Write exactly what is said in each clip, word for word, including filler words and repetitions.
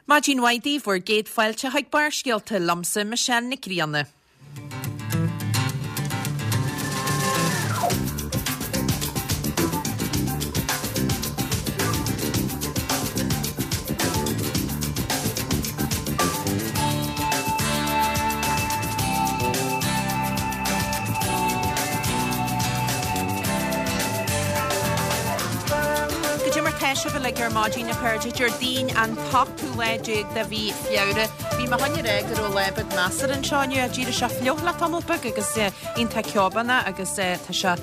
Maidin mhaith daoibh bhur gcéad fáilte chuig Barrscéalta liomsa Michelle Nic Grianna. Goidé mar tá sibh uilig ar maidin a chairde Déardaoin an t-ochtú lá déag de mhí Feabhra. Bhí mé chun a rá go raibh lá beag measartha anseo inniu ach d'éirigh sé fliuch le tamall beag agus iontach ceobánach agus tá sé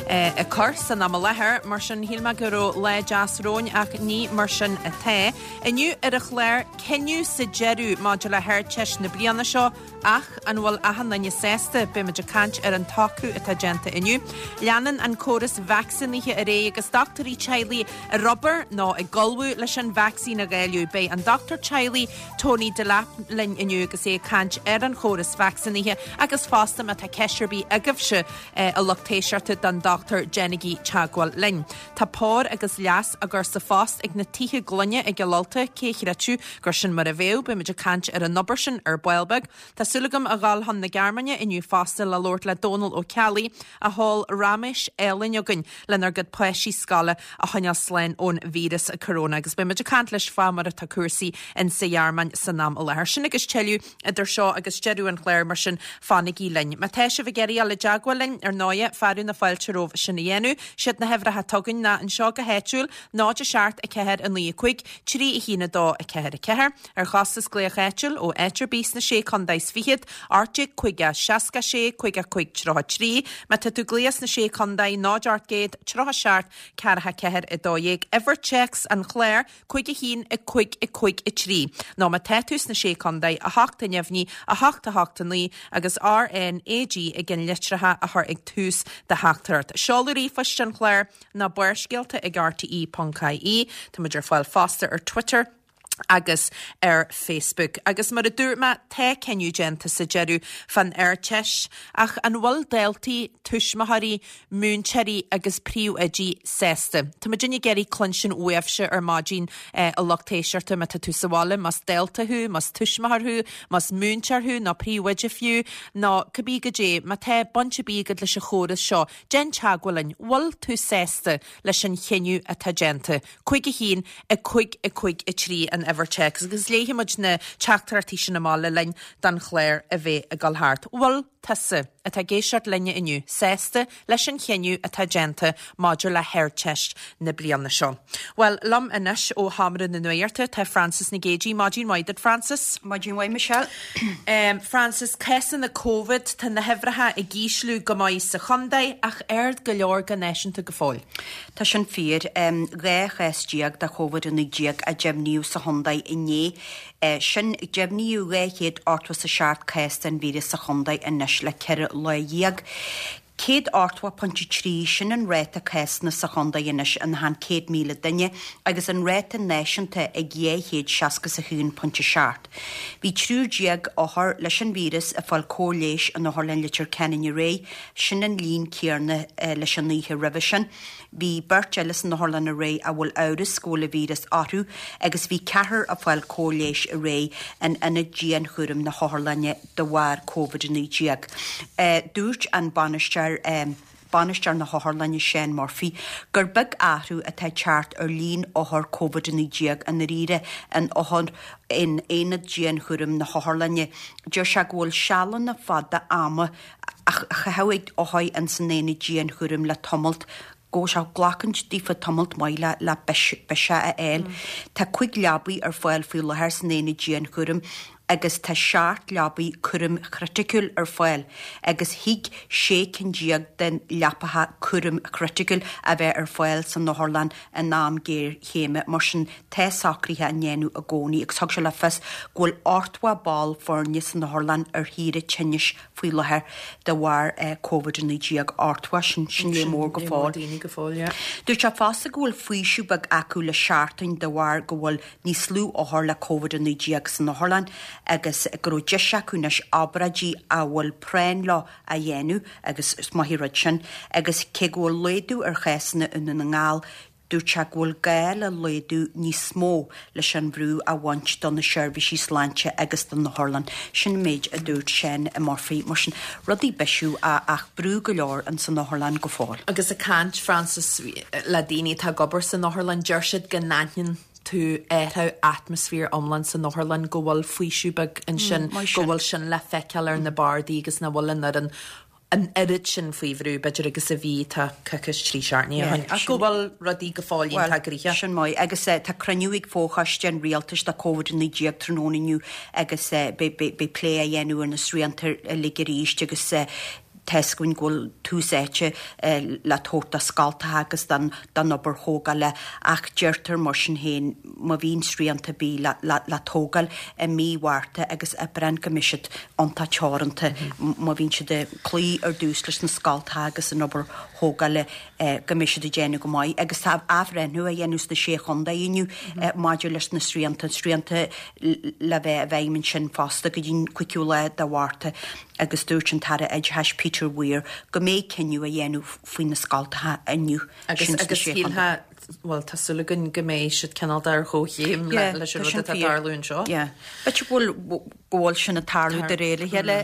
ag cur san am i láthair, mar sin shíl mé go raibh lá deas romhainn ach ní mar sin atá. Inniu ar an chlár, cinneadh sa deireadh maidir le hArdteist na bliana seo ach an bhfuil achan duine sásta? Beimid ag caint ar an tsocrú atá déanta inniu. Leanann an córas vacsaínithe ar aghaidh agus dochtúirí teaghlaigh ar obair nó ag ullmhú leis an vacsaín a dháileadh. Beidh an dochtúir teaghlaigh Tony Delap linn inniu agus é ag caint ar an chóras vacsaínithe agus fosta má tá ceist ar bith agaibhse a lucht éisteachta don dochtúir déanaigí teagmháil linn. Tá pár agus leas á gcur sa phost ag na tithe gloine i gCill Ulta, cé a chreidfeadh gur sin mar a bheadh, beimid ag caint ar an obair sin ar ball beag. Tá súil agam a dhul chun na Gearmáine inniu fosta le labhairt le Dónal Ó Ceallaigh a sheol raiméis álainn chugainn lenár gcuid páistí scoile a choinneáil slán ón víreas corona agus beimid ag caint leis fá mar atá cúrsaí in sa Ghearmáin san am i láthair. Sin agus tuilleadh idir seo agus deireadh an chláir mar sin fanaigí linn. Má tá sibh ag iarraidh dul i dteagmháil linn ar ndóigh, fearadh na fáilte romhaibh sin a dhéanamh. Siad na huimhreacha atá againn ná anseo go háitiúil, náid a seacht a ceathair a naoi a cúig, trí a haon a dó a ceathair a ceathair, ar chostas glaoch áitiúil ó áit ar bith sna sé chontae is fichead, ocht déag caoga, seasca sé, caoga cúig, tríocha trí. Má tá tú ag glaoch sna sé chontae, náid ocht gcéad, tríocha seacht, ceathracha ceathair a dó dhéag. Uimhir téacs an chláir, cúig a haon, a cúig, a cúig, a trí. Nó má tá tú sna sé chontae, a hocht a neamhní, a hocht a hocht a naoi agus R N A G i gceannlitreacha a chur ag tús do theachtaireacht. Seoladh ríomhphoist an chláir ná barrscéalta ag R T E ponc I E. Tá muid ar fáil fosta ar Twitter agus ar Facebook. Agus mar a dúirt mé, tá cinneadh déanta sa deireadh fán Ardteist, ach an bhfuil daltaí, tuismitheoirí, múinteoirí agus príomhoidí sásta? Tá muid ag iarraidh cluinstin uaibhse ar maidin a lucht éisteachta má tá tú sa bhaile, más dalta thú, más tuismitheoir thú, más múinteoir thú nó príomhoide fiú, nó cibé goidé, má tá baint ar bith agat leis an chóras seo, déan teagmháil linn, bhfuil tú sásta leis an chinneadh atá déanta? Cúig a haon, a cúig, a cúig, a trí an uimhir téacs agus léifidh muid na teachtaireachtaí sin amach le linn don chlár a bheith ag dul thart. Bhfuil tusa atá ag éisteacht linne inniu sásta leis an chinneadh atá déanta maidir le hArdteist na bliana seo? Bhuel, liom anois ó Sheomra na Nuachta tá Frances Nic Géadaigh. Maidin mhaith duit, Frances. Maidin mhaith, Michelle. Um, Frances, cásanna Covid, tá na huimhreacha ag ísliú go maith sa chontae ach ard go leor go náisiúnta go fóill. Tá sin fíor. Um, dhá chás déag de Covid a naoi déag a deimhníodh sa chontae inné. Uh, sin deimhníodh dhá chéad ochtó is a seacht cás den víreas sa chontae anois le ceithre lá dhéag. Céad ochtó pointe trí sin an ráta cásanna sa chontae anois in achan céad míle duine agus an ráta náisiúnta ag dhá chéad seasca is a haon pointe seacht. Bhí triúr déag othar leis an víreas ag fáil cóir leighis in Otharlann Leitir Ceanainn aréir, sin an líon céanna leis an oíche roimhe sin. Bhí beirt eile san otharlann aréir a bhfuil amhras go bhfuil an víreas orthu agus bhí ceathrar ag fáil cóir leighis aréir in ionad dianchúraim na hotharlainne de bharr Covid a naoi déag. Dúirt an bainisteoir bainisteoir na hotharlainne Seán Murphy gur beag athrú atá ag teacht ar líon othar Covid a naoi déag i ndáiríre in othar in aonad dianchúraim na hotharlainne. Deir sé go bhfuil sealanna fada ama á gcaitheamh ag othair ins an aonad dianchúraim le tamalt go bhfuil sé ag glacaint daofa tamalt maith le le biseach a fháil. Tá cúig leabaí ar fáil faoi láthair san aonad dianchúraim agus tá seacht leabaí cúraim chriticiúil ar fáil agus thig sé cinn déag den leapacha cúraim chriticiúil a bheith ar fáil san otharlann in am géarchéime. Mar sin tá socruithe á ndéanamh i gcónaí agus thug sé le fios go bhfuil ochtó ball foirne san otharlann ar shaoire tinnis faoi láthair de bharr Covid a naoi déag. Ochtó, sin sin léar mór go fóill. Dúirt sé fosta go bhfuil faoiseamh beag acu le seachtain de bharr go bhfuil níos lú othar le Covid a naoi déag san otharlann agus go raibh deis acu anois obráidí a bhfuil práinn leo a dhéanamh agus is maith an rud sin agus cé go bhfuil laghdú ar chásanna i nDún na nGall, Dúirt sé go bhfuil gá le laghdú níos mó leis an bhrú a bhaint do na seirbhísí sláinte agus do na hotharlanna. Sin an méid a dúirt Seán Murphy. Mar sin, rudaí bisiú ach brú go leor ins an otharlann go fóill. Agus ag caint, Frances, le daoine atá ag obair san otharlann, deir siad go n-aithníonn tú athrú atmaisféar iomlán san otharlann, go bhfuil faoiseamh beag ansin, go bhfuil sin le feiceáil ar na bardaí agus nach bhfuil an fhoireann an oiread sin faoi bhrú, b'fhéidir, agus a bhí tá coicís trí seachtaine ó shin, ach go bhfuil rudaí go fóill iontach gnoitheach. Sin maith. Agus tá cruinniú ag fochoiste an rialtais do Covid a naoi déag tráthnóna inniu agus beidh plé á dhéanamh ar na srianta uilig arís agus tá's againn go bhfuil tús áite le tabhairt do scoltacha agus don obair thógála ach deirtear mar sin féin má bhíonn srianta ar bith le tógáil i mí Mhárta agus Aibreán go mbeidh siad iontach teoranta má bhíonn siad ag cloí ar dtús leis na scoltacha agus an obair thógála go mbeidh siad ag déanamh go maith. Agus tá athbhreithniú á dhéanamh sna Sé Chontae inniu maidir leis na srianta, srianta le bheith i bhfeidhm ansin fosta go dtí'n cúigiú lá de Mhárta agus dúirt an tAire Oideachais Peter Weir go mbeidh cinneadh á dhéanamh faoi na scoltacha inniu. Agus agus shílfeá, bhuel tá súil againn go mbeidh siad cineál de ar chomhchéim leis an rud atá ag tarlú anseo. Yeah. B'fhéidir go bhfuil go bhfuil sin ag tarlú de réir a chéile.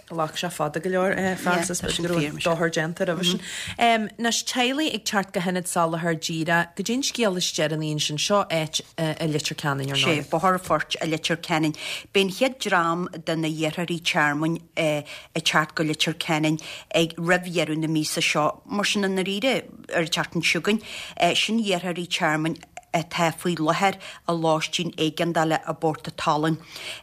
Ghlac sé fada go leor, Frances, b'fhéidir go raibh dochar déanta roimhe sin. Anois, teaghlaigh ag teacht go hIonad Soláthair Díreach, goidé an scéal is deireanaí ansin, seo áit i Leitir Ceanainn ar ndóigh. Sé, Bóthar an Phoirt i Leitir Ceanainn. Beidh an chéad dream de na hiarrthóirí tearmainn ag teacht go Leitir Ceanainn ag roimh dheireadh na míosa seo. Mar sin, i ndáiríre, ar an tseachtain seo chugainn, sin iarrthóirí tearmainn atá faoi láthair i lóistín éigeandála i bPort a' tSalainn.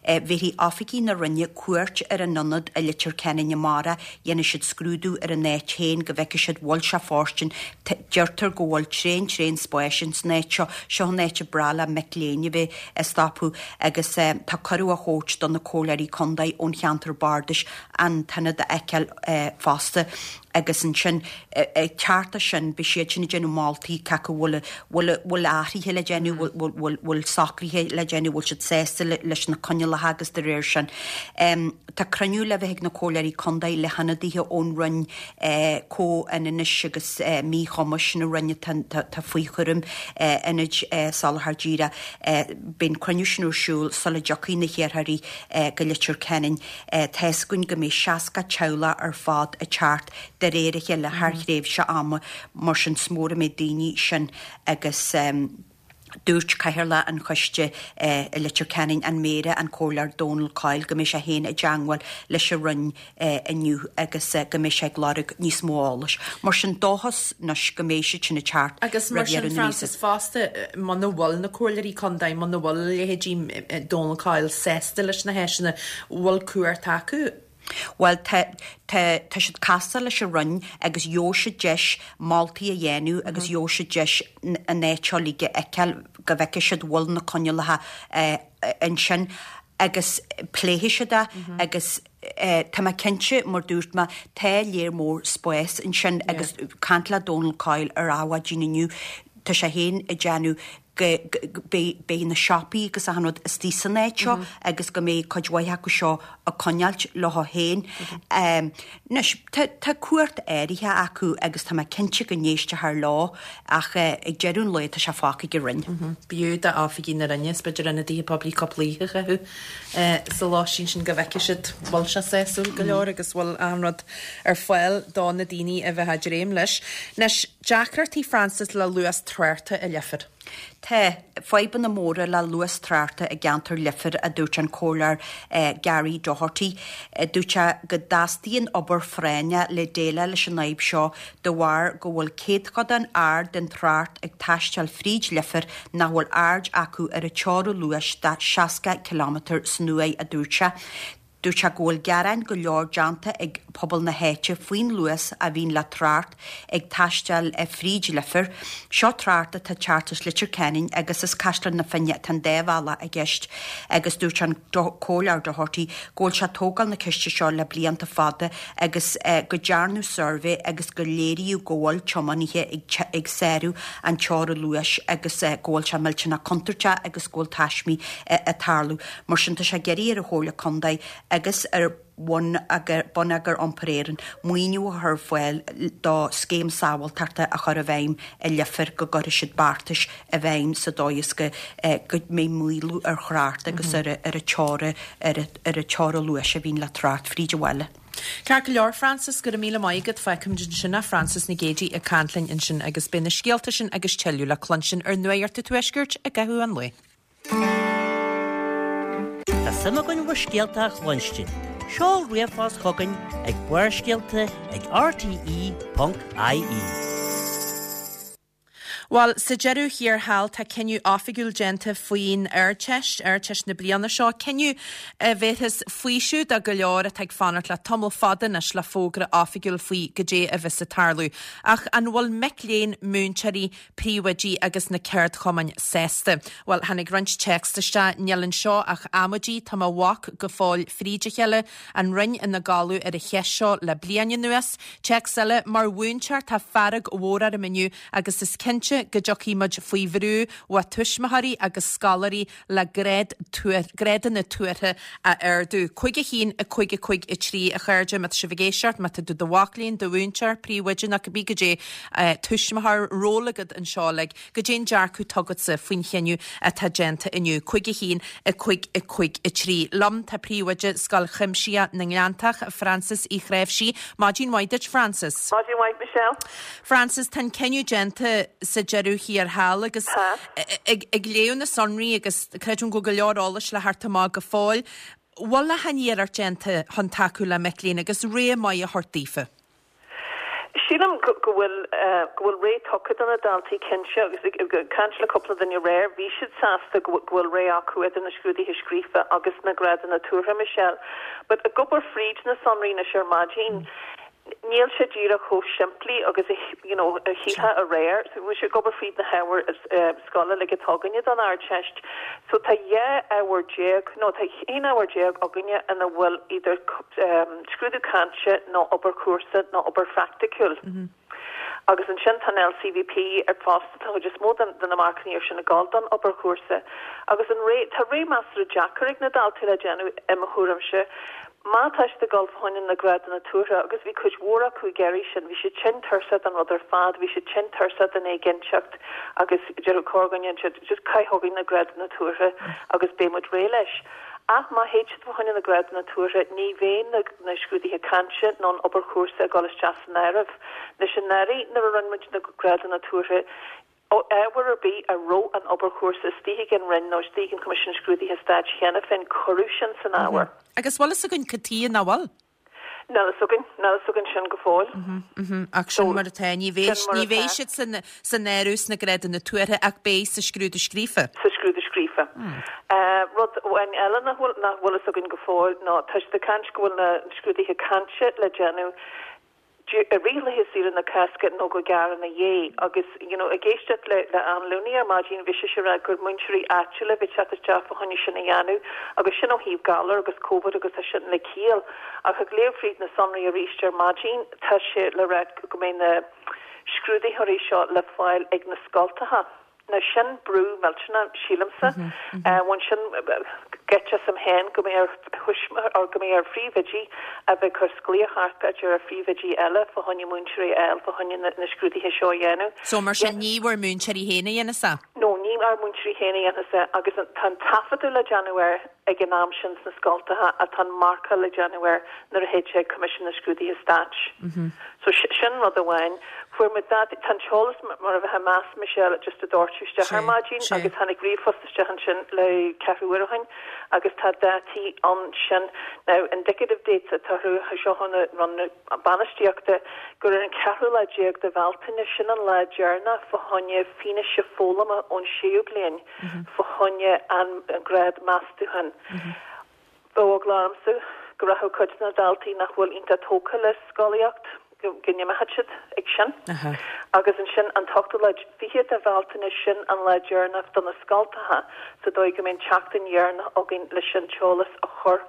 Bhéarfaidh oifigigh na Roinne cuairt ar an ionad i Leitir Ceanainn amárach, dhéanfaidh siad scrúdú ar an áit féin go bhfeicfidh siad bhfuil sé fóirstean. Deirtear go bhfuil tréan tréan spáis ins an áit seo. Seo an áit ab breá le mic léinn a bheith ag stopadh agus tá cuireadh á thabhairt do na comhairleoirí contae ón cheantar bardais an t-ionad a fheiceáil fosta. Agus ansin, ag teacht as sin, beidh siad sin ag déanamh moltaí cé acu bhfuil, bhfuil, bhfuil athruithe le déanamh, bhfuil, bhfuil, bhfuil socruithe le déanamh, bhfuil siad sásta leis na coinníollacha agus de réir sin. Tá cruinniú le bheith ag na comhairleoirí contae le hionadaithe ón Roinn Comhionannais agus Míchumais, an Roinn atá faoi chúram Ionaid Soláthair Díreach. Beidh an cruinniú sin ar siúl sula dtiocfaidh na hiarrthóirí go Leitir Ceanainn. Tá's againn go mbeidh seasca teaghlach ar fad ag teacht de réir a chéile thar thréimhse ama, mar sin is mór an méid daoine sin agus dúirt Cathaoirleach an Choiste i Leitir Ceanainn, an Méara, an Comhairleoir Dónal Coyle, go mbeidh sé féin i dteangmháil leis an Roinn inniu agus go mbeidh sé ag lorg níos mó eolais. Mar sin, dóchas anois go mbeidh siad sin ag teacht Agus mar roimh sin, dheireadh na míosa. Frances, fosta, muna bhfuil na comhairleoirí contae, muna bhfuil leithéidí Dónal Coyle sásta leis na háiseanna, bhfuil cumhacht acu? Bhuel, tá, tá, tá siad casta leis an Roinn agus gheobhaidh siad deis moltaí a dhéanamh agus gheobhaidh siad deis an áit seo uilig a fheiceáil go bhfeicfidh siad bhfuil na coinníollacha ansin agus pléifidh siad é agus tá mé cinnte, mar dúirt mé, tá léar mór spáis ansin agus caint le Dónal Coyle ar Adhmhaidin inniu, tá sé féin ag déanamh go beidh na siopaí agus achan rud istigh san áit seo agus go mbeidh cuid mhaith acu seo ag coinneáilt leo féin. Anois, tá cumhacht áirithe acu agus tá mé cinnte go n-éistfear leo ach ag deireadh an lae tá sé fágtha ag an Roinn. B'fhiú d'oifigigh na Roinne is b'fhéidir ionadaithe poiblí cúpla oíche a chaitheamh sa lóistín sin go bhfeicfidh siad bhfuil sé sásúil go leor agus bhfuil achan rud ar fáil do na daoine a bheith ag dréim leis. Anois, deacrachtaí Frances le luas tráchta i Leifear. Tá fadhbanna móra le luas tráchta i gceantar Leifir, a dúirt an Comhairleoir Gary Doherty. Dúirt sé go dteastaíonn obair phráinneach le déileáil leis an fhadhb seo de bharr go bhfuil céatchodán ard den trácht ag taisteal fríd Leifear nach bhfuil aird acu ar an teorainn luais de seasca ciliméadar san uair, a dúirt sé. Dúirt sé go bhfuil gearáin go leor déanta ag pobal na háite faoin luas a bhíonn le trácht ag taisteal fríd Leifear. Seo trácht atá ag teacht as Leitir Ceanainn agus as Caisleán na Finne atá an dá bhealach i gceist agus dúirt an Comhairleoir Doherty go bhfuil sé ag tógáil na ceiste seo le blianta fada agus go dtearnadh suirbhé agus go léiríodh go bhfuil tiománaithe ag sárú an teorainn luais agus go bhfuil sé millteanach contúirteach agus go bhfuil taismí ag tarlú. Mar sin tá sé ag iarraidh ar an Chomhairle Contae agus ar Bonneagar Iompair Éireann maoiniú a chur ar fáil do scéim sábháilteachta a chur i bhfeidhm i Leifear go gcuirfidh siad beartais i bhfeidhm sa dóigh is go go mbeidh maolú ar thrácht agus ar ar an teora ar ar an teora luais a bhíonn le trácht fríd an bhaile. Ceart go leor Frances go raibh míle maith agat feicim sin a Frances Nic Géadaigh ag caint linn ansin agus beidh na scéalta sin agus tuilleadh le cluinstin ar Nuacht an Tuaiscirt i gcaitheamh an lae. Tá suim againn bhur scéalta a chluinstin. Seol ríomhphost chugainn ag Barrscéalta ag RTE.ie. Bhuel, sa deireadh thiar thall tá cinneadh oifigiúil déanta faoin Ardteist, Ardteist na bliana seo, cinneadh a bhéarfas faoiseamh do go leor atá ag fanacht le tamall fada anois le fógra oifigiúil faoi goidé a bheas ag tarlú. Ach an bhfuil mic léinn múinteoirí, príomhoidí agus na ceardchumainn sásta? Bhuel, tháinig roinnt téacs isteach níl anseo ach amaidí tá mo mhac go fóill fríd a chéile an Roinn ina codladh ar an cheist seo le bliain anuas. Téacs eile mar mhúinteoir tá fearg mhór orm inniu agus is cinnte go dtiocfaidh muid faoi bhrú ó tuismitheoirí agus scoláirí le grád grádanna tuartha a ardú. Cúig a haon a cúig a cúig a trí a chairde má tá sibh ag éisteacht má tá tú do mhac léinn do mhúinteoir príomhoide nó cibé goidé tuismitheoir ról agat anseo le goidé an dearcadh atá agatsa faoin chinneadh atá déanta inniu. Cúig a haon a cúig a cúig a trí. Liom tá príomhoide Scoil Chuimsitheach na nGleanntach Frances Uí Chráimhsí. Maidin mhaith duit Frances. Maidin mhaith Michelle. Frances tá an cinneadh déanta sa deireadh thiar thall agus ag, ag léamh na sonraí agus creidim go go leor eolais le theacht amach go fóill. Bhfuil aon iarracht déanta chun tacú le mic léinn agus ré maith a thabhairt daofa. Sílim go bhfuil go bhfuil ré tugtha do na daltaí cinnte agus caint le cúpla duine aréir, bhí siad sásta go bhfuil ré acu idir na scrúduithe scríofa agus na grádanna tuartha Michelle. But ag obair fríd na sonraí anois ar maidin, níl sé díreach chomh simplí agus you know, a shílfeá aréir, so bhí sé ag obair fríd na hábhair uh, scoile le atá againne don Ardteist. So tá dhá ábhar déag nó tá aon ábhar déag againne ina bhfuil idir um, scrúdú cainte nó obair chúrsa nó obair phraiticiúil. Mm -hmm. Agus ansin tá LCVP ar fosta tá is mó de na marcanna sin ag gabháil don obair chúrsa. Agus an ré tá ré measartha deacair ag na daltaí le déanamh i mo thuairimse. Má tá siad ag dul fá choinne na grádanna tuartha agus bhí cuid mhór acu ag iarraidh sin, bhí siad tinn tuirseach den rud ar fad, bhí siad tinn tuirseach den éiginnteacht agus deir corrdhuine just caith chugainn na grádanna tuartha agus beidh muid réidh leis. Ach má théid siad fá choinne na grádanna tuartha ní bheidh na, na scrúduithe cainte nó an obair chúrsa ag dul isteach san áireamh. Leis an anuraidh nuair a rinne muid na grádanna tuartha ábhar ar bith a raibh an obair chúrsa istigh ag an Roinn nó istigh an Coimisiún Scrúduithe Stáit cheana féin cuireadh sin san ábhar. Mm -hmm. Agus bhfuil fhios againn cad chuige nach bhfuil? Níl fhios againn níl fhios againn sin go fóill. Ach sin mar atá ní ní bheidh siad san san áireamh sna grádanna tuartha ach beidh sa scrúdú scríofa. Sa scrúdú scríofa. Mm. Uh, rud amháin eile nach bhfuil nach bhfuil fhios againn go fóill ná tá siad ag caint go bhfuil na scrúduithe cainte le déanamh i rith saoire na Cásca nó go gearr ina dhiaidh agus you know, ag éisteacht le le Ann Looney ar maidin bhí sí ag rá gur múinteoirí áitiúla bhí teacht isteach fá choinne sin a dhéanamh agus sin ó thaobh galar agus COVID agus tá sin le ciall ach ag léamh fríd na sonraí arís ar maidin tá sé le rá go mbeidh na scrúdaitheoirí seo le fáil ag na scoltacha. Na sin brú millteanach sílimse bhain sin geit asam féin go mbeidh ar go mbeidh ar phríomhoidí a bheith cur glaoch thart b'fhéidir ar phríomhoidí eile fá choinne múinteoirí eile fá choinne na, na scrúduithe seo a dhéanamh. So mar sin ní bhur múinteoirí féin a dhéanfas é? No ní ár múinteoirí féin a dhéanfas é agus tá an taifeadadh le déanamh air ag an am sin sna scoltacha atá an marcáil le déanamh air nuair a théid sé Coimisiún na Scrúduithe Stáit. Mm -hmm. So sin rud amháin fuair muid dat tá an t-eolas mar a bheith meas Michelle just a dóirtú isteach ar maidin agus tháinig ríomhphost isteach ansin le ceathrú uair ó shin agus tá dátaí ansin now indicative dates atá seo na run bainistíochta gur ar an ceathrú lá déag de Bhealtaine sin an lá deireanach fá choinne fianaise foghlama ón séú bliain fá choinne an grád meastúcháin. Bheadh eagla ormsa go raibh cuid na daltaí nach bhfuil iontach tógtha le scolaíocht go n-imeoidh siad ag sin. Agus ansin an t-ochtú lá fiche de Bhealtaine sin an lá deireanach do na scoltacha sa dóigh go mbeidh an tseachtain dheireanach againn leis an t-eolas a chur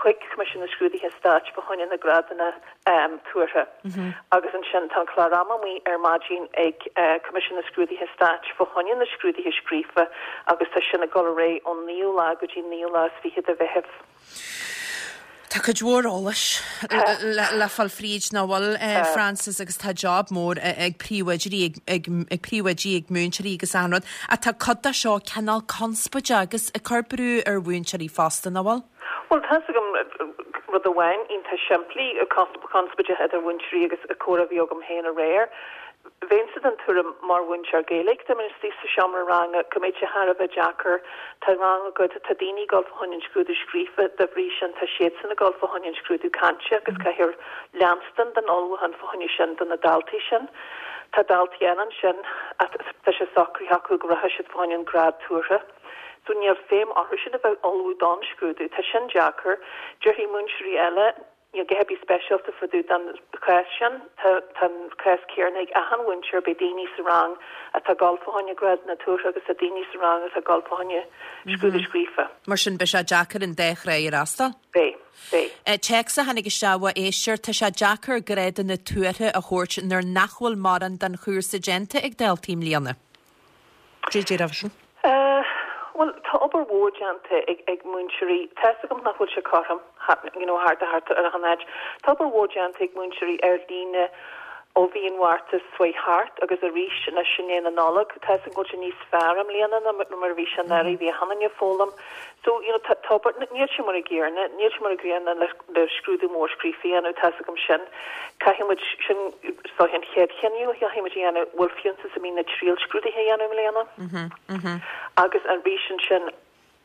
chuig Coimisiún na Scrúduithe Stáit fá choinne na grádanna um, tuartha. Mm -hmm. Agus ansin tá an clár ama amuigh ar maidin ag uh, Coimisiún na Scrúduithe Stáit fá choinne na scrúduithe scríofa agus tá sin ag dul ar aghaidh ón naoú lá go dtí naoú lá is fiche de Mheitheamh. Tá cuid mhór eolais le fáil fríd nach bhfuil Frances agus tá job mór ag príomhoidí ag príomhoidí ag múinteoirí agus achan rud. Ach tá cuid de seo cineál conspóideach agus ag cur brú ar mhúinteoirí fosta nach bhfuil? Bhuel tá's agam rud amháin iontach simplí conspóideach idir mhúinteoirí agus comhrá a bhí agam féin aréir. Bheinnse den tuairim mar mhúinteoir Gaeilge, dá mbeinn istigh sa seomra ranga, go mbeadh sé thar a bheith deacair. Tá rang agat, tá daoine ag dul fá choinne an scrúdú scríofa, dá bhrí sin tá siadsan ag dul fá choinne an scrúdú cainte agus caithfear leanstan den ullmhúchán fá choinne sin do na daltaí sin. Tá daltaí eile ansin tá sé socraithe acu go rachaidh siad fá choinne an grád tuartha. So níl feidhm orthu sin a bheith ag ullmhú don scrúdú. Tá sin deacair. Déarfaidh múinteoirí eile, Níl a dhath ar bith speisialta fá dtaobh den chás sin. Tá an cás céanna ag achan mhúinteoir, beidh daoine sa rang atá ag dul fá choinne grádanna tuartha agus tá daoine sa rang atá ag dul fá choinne scrúdú scríofa. Mar sin beidh sé deacair an dá thráigh a fhreastal. Beidh. Beidh. Téacs a tháinig isteach ó éisteoir, tá sé deacair grádanna tuartha a thabhairt nuair nach bhfuil mórán den chúrsa déanta ag daltaí i mbliana. Cad é déarfá faoi sin? Bhuel, tá obair mhór déanta ag ag múinteoirí. Tá's agam nach bhfuil sé cothrom, you know, thart thart ar achan áit. Tá obair mhór déanta ag múinteoirí ar líne ó mhí an Mhárta suas thart agus arís anois i ndiaidh na Nollag. Tá's agam go bhfuil sé níos fearr i mbliana ná mar a bhí sé anuraidh, bhí achan duine ag foghlaim. So, you know, tá tá obair, níl sé mar a gcéanna, níl sé mar a gcéanna le le scrúdú mór scríofa a dhéanamh, tá's agam sin. Caithfidh muid, sin is dóiche an chéad chinneadh a chaithfidh muid a dhéanamh, bhfuil fiúntas ar bith na triailscrúduithe a dhéanamh i mbliana? Agus arís ansin,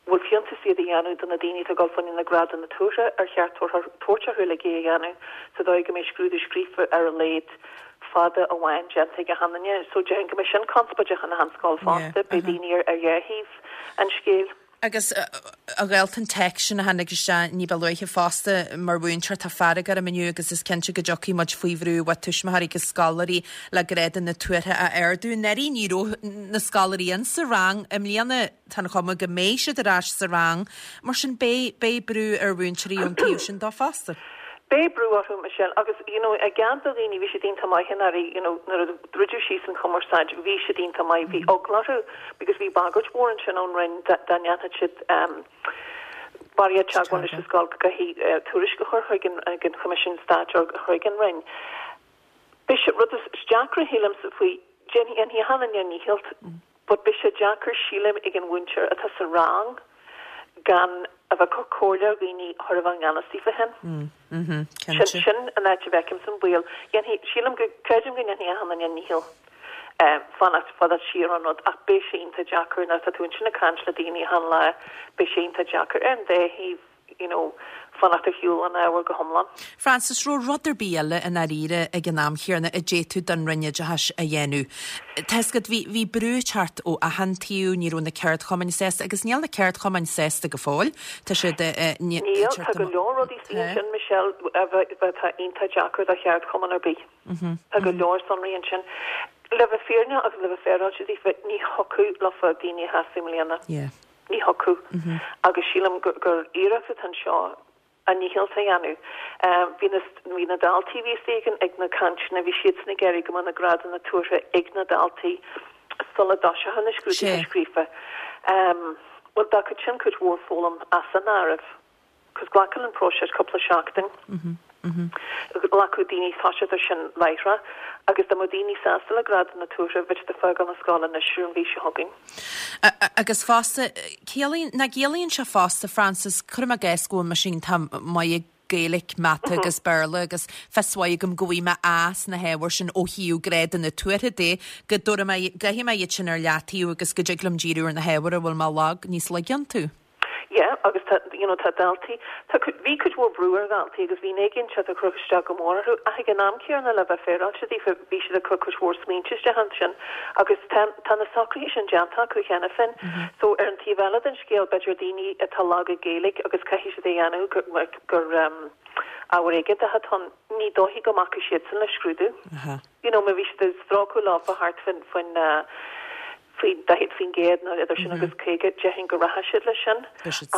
bhfuil fiúntas iad a dhéanamh do na daoine atá ag dul fá choinne na grádanna tuartha, ar cheart tabhairt orthu uilig é a dhéanamh sa dóigh go mbeidh scrúdú scríofa ar a laghad fada amháin déanta ag achan duine. So déarfainn go mbeidh sin conspóideach in achan scoil fosta, beidh daoine ar dhá thaobh an scéil. Agus a ghaolta an téacs sin a tháinig isteach ní ba luaithe fosta, mar mhúinteoir tá fearg orm inniu agus is cinnte go dtiocfaidh muid faoi bhrú ó tuismitheoirí agus scoláirí le grádanna tuartha a ardú. Anuraidh ní raibh na scoláirí in sa rang, i mbliana tá an chuma go mbeidh siad ar ais sa rang, mar sin beidh beidh brú ar mhúinteoirí ón taobh sin dó fosta. Beidh brú orthu, Michelle, agus you know i gcead do dhaoine, bhí siad iontach maith anuraidh, you know nuair a druideadh síos an chumarsáid, bhí siad iontach maith, bhí eagla orthu because bhí bagairt mhór ansin ón Roinn dá dá ndéanfadh siad ehm barraíocht teagmháil leis an scoil go gcaithfí tuairisc a chur chuig an ag an Choimisiún Stáit or chuig an Roinn. Beidh sé, rud is deacra shílimse faoi, déanfaidh déanfaidh achan duine a ndícheall but beidh sé deacair sílim ag an mhúinteoir atá sa rang gan a bheith ag cur comhairle ar dhaoine chóir a bheith i ngan fhios daofa féin. Sin, sin an áit a bhfeicimse an baol. Dhéanfaidh, sílim go, creidim go ndéanfaidh achan duine a ndícheall fanacht, fanacht siar ón rud ach beidh sé iontach deacair nuair atá tú ansin ag caint le daoine achan lá, beidh sé iontach deacair ar an dá thaobh. you know, fanacht ar shiúl an ábhair go hiomlán. Frances, raibh rud ar bith eile i ndáiríre ag an am chéanna a d'fhéadfadh don Roinn Oideachais a dhéanamh? Tá's agat, bhí, bhí brú ag teacht ó achan taobh, ní raibh na ceardchumainn sásta, agus níl na ceardchumainn sásta go fóill. Tá siad, eh, ní, Níl, tá go leor rudaí istigh ansin, Michelle, a bheith, atá iontach deacair do cheardchumann ar bith. Tá go leor sonraí ansin. Le bheith fírinneach agus le bheith féaráilte daofa, ní thiocfadh leofa daoine a shásamh i mbliana. Yeah. Ní thiocfadh. Agus sílim gur iarracht atá anseo a ndícheall a dhéanamh. Bhí na bhí na daltaí a bhí istigh ag na cainteanna, bhí siadsan ag iarraidh go mbeadh na grádanna tuartha ag na daltaí sula dtoiseochadh na scrúduithe scríofa. Bhuel, d'fhágfadh sin cuid mhór foghlaim as an áireamh. Cos glacann an próiseas cúpla seachtain. Ghlacfadh daoine toiseacht air sin láithreach agus dá mbeadh daoine sásta le grádanna tuartha, bheadh siad ag fágáil na scoile anois ar an mhí seo chugainn. Agus fosta, ciallaíonn, nach gciallaíonn sé fosta, Frances, cuirim i gcás go bhfuil mise iontach maith ag Gaeilge, Mata agus Béarla agus fios mhaith agam go bhfaighidh mé A sna hábhair sin ó thaobh grádanna tuartha de, go dtabharfaidh mé, gcaithfidh mé iad sin ar leataobh agus go dtig liom díriú ar na hábhair a bhfuil mé lag, níos laige iontu. Yeah, agus tá, you know, tá daltaí, tá cuid, bhí cuid mhór brú ar dhaltaí agus bhí an éiginnteacht ag cur isteach go mór orthu ach ag an am céanna le bheith féaráilte daofa bhí siad ag cur cuid mhór smaointe isteach ansin agus tá, tá na socruithe sin déanta acu cheana féin. So ar an taobh eile den scéal b'fhéidir daoine atá lag i Gaeilge agus caithfidh siad a dhéanamh gur, gur ábhar éigeantach atá ann, ní dóichí go mbacfaidh siadsan le scrúdú. You know, má bhí siad ag strácáil leofa thart faoin, faoin, faoi daichead faoin gcéad nó idir sin agus caoga, déarfainn go rachadh siad leis sin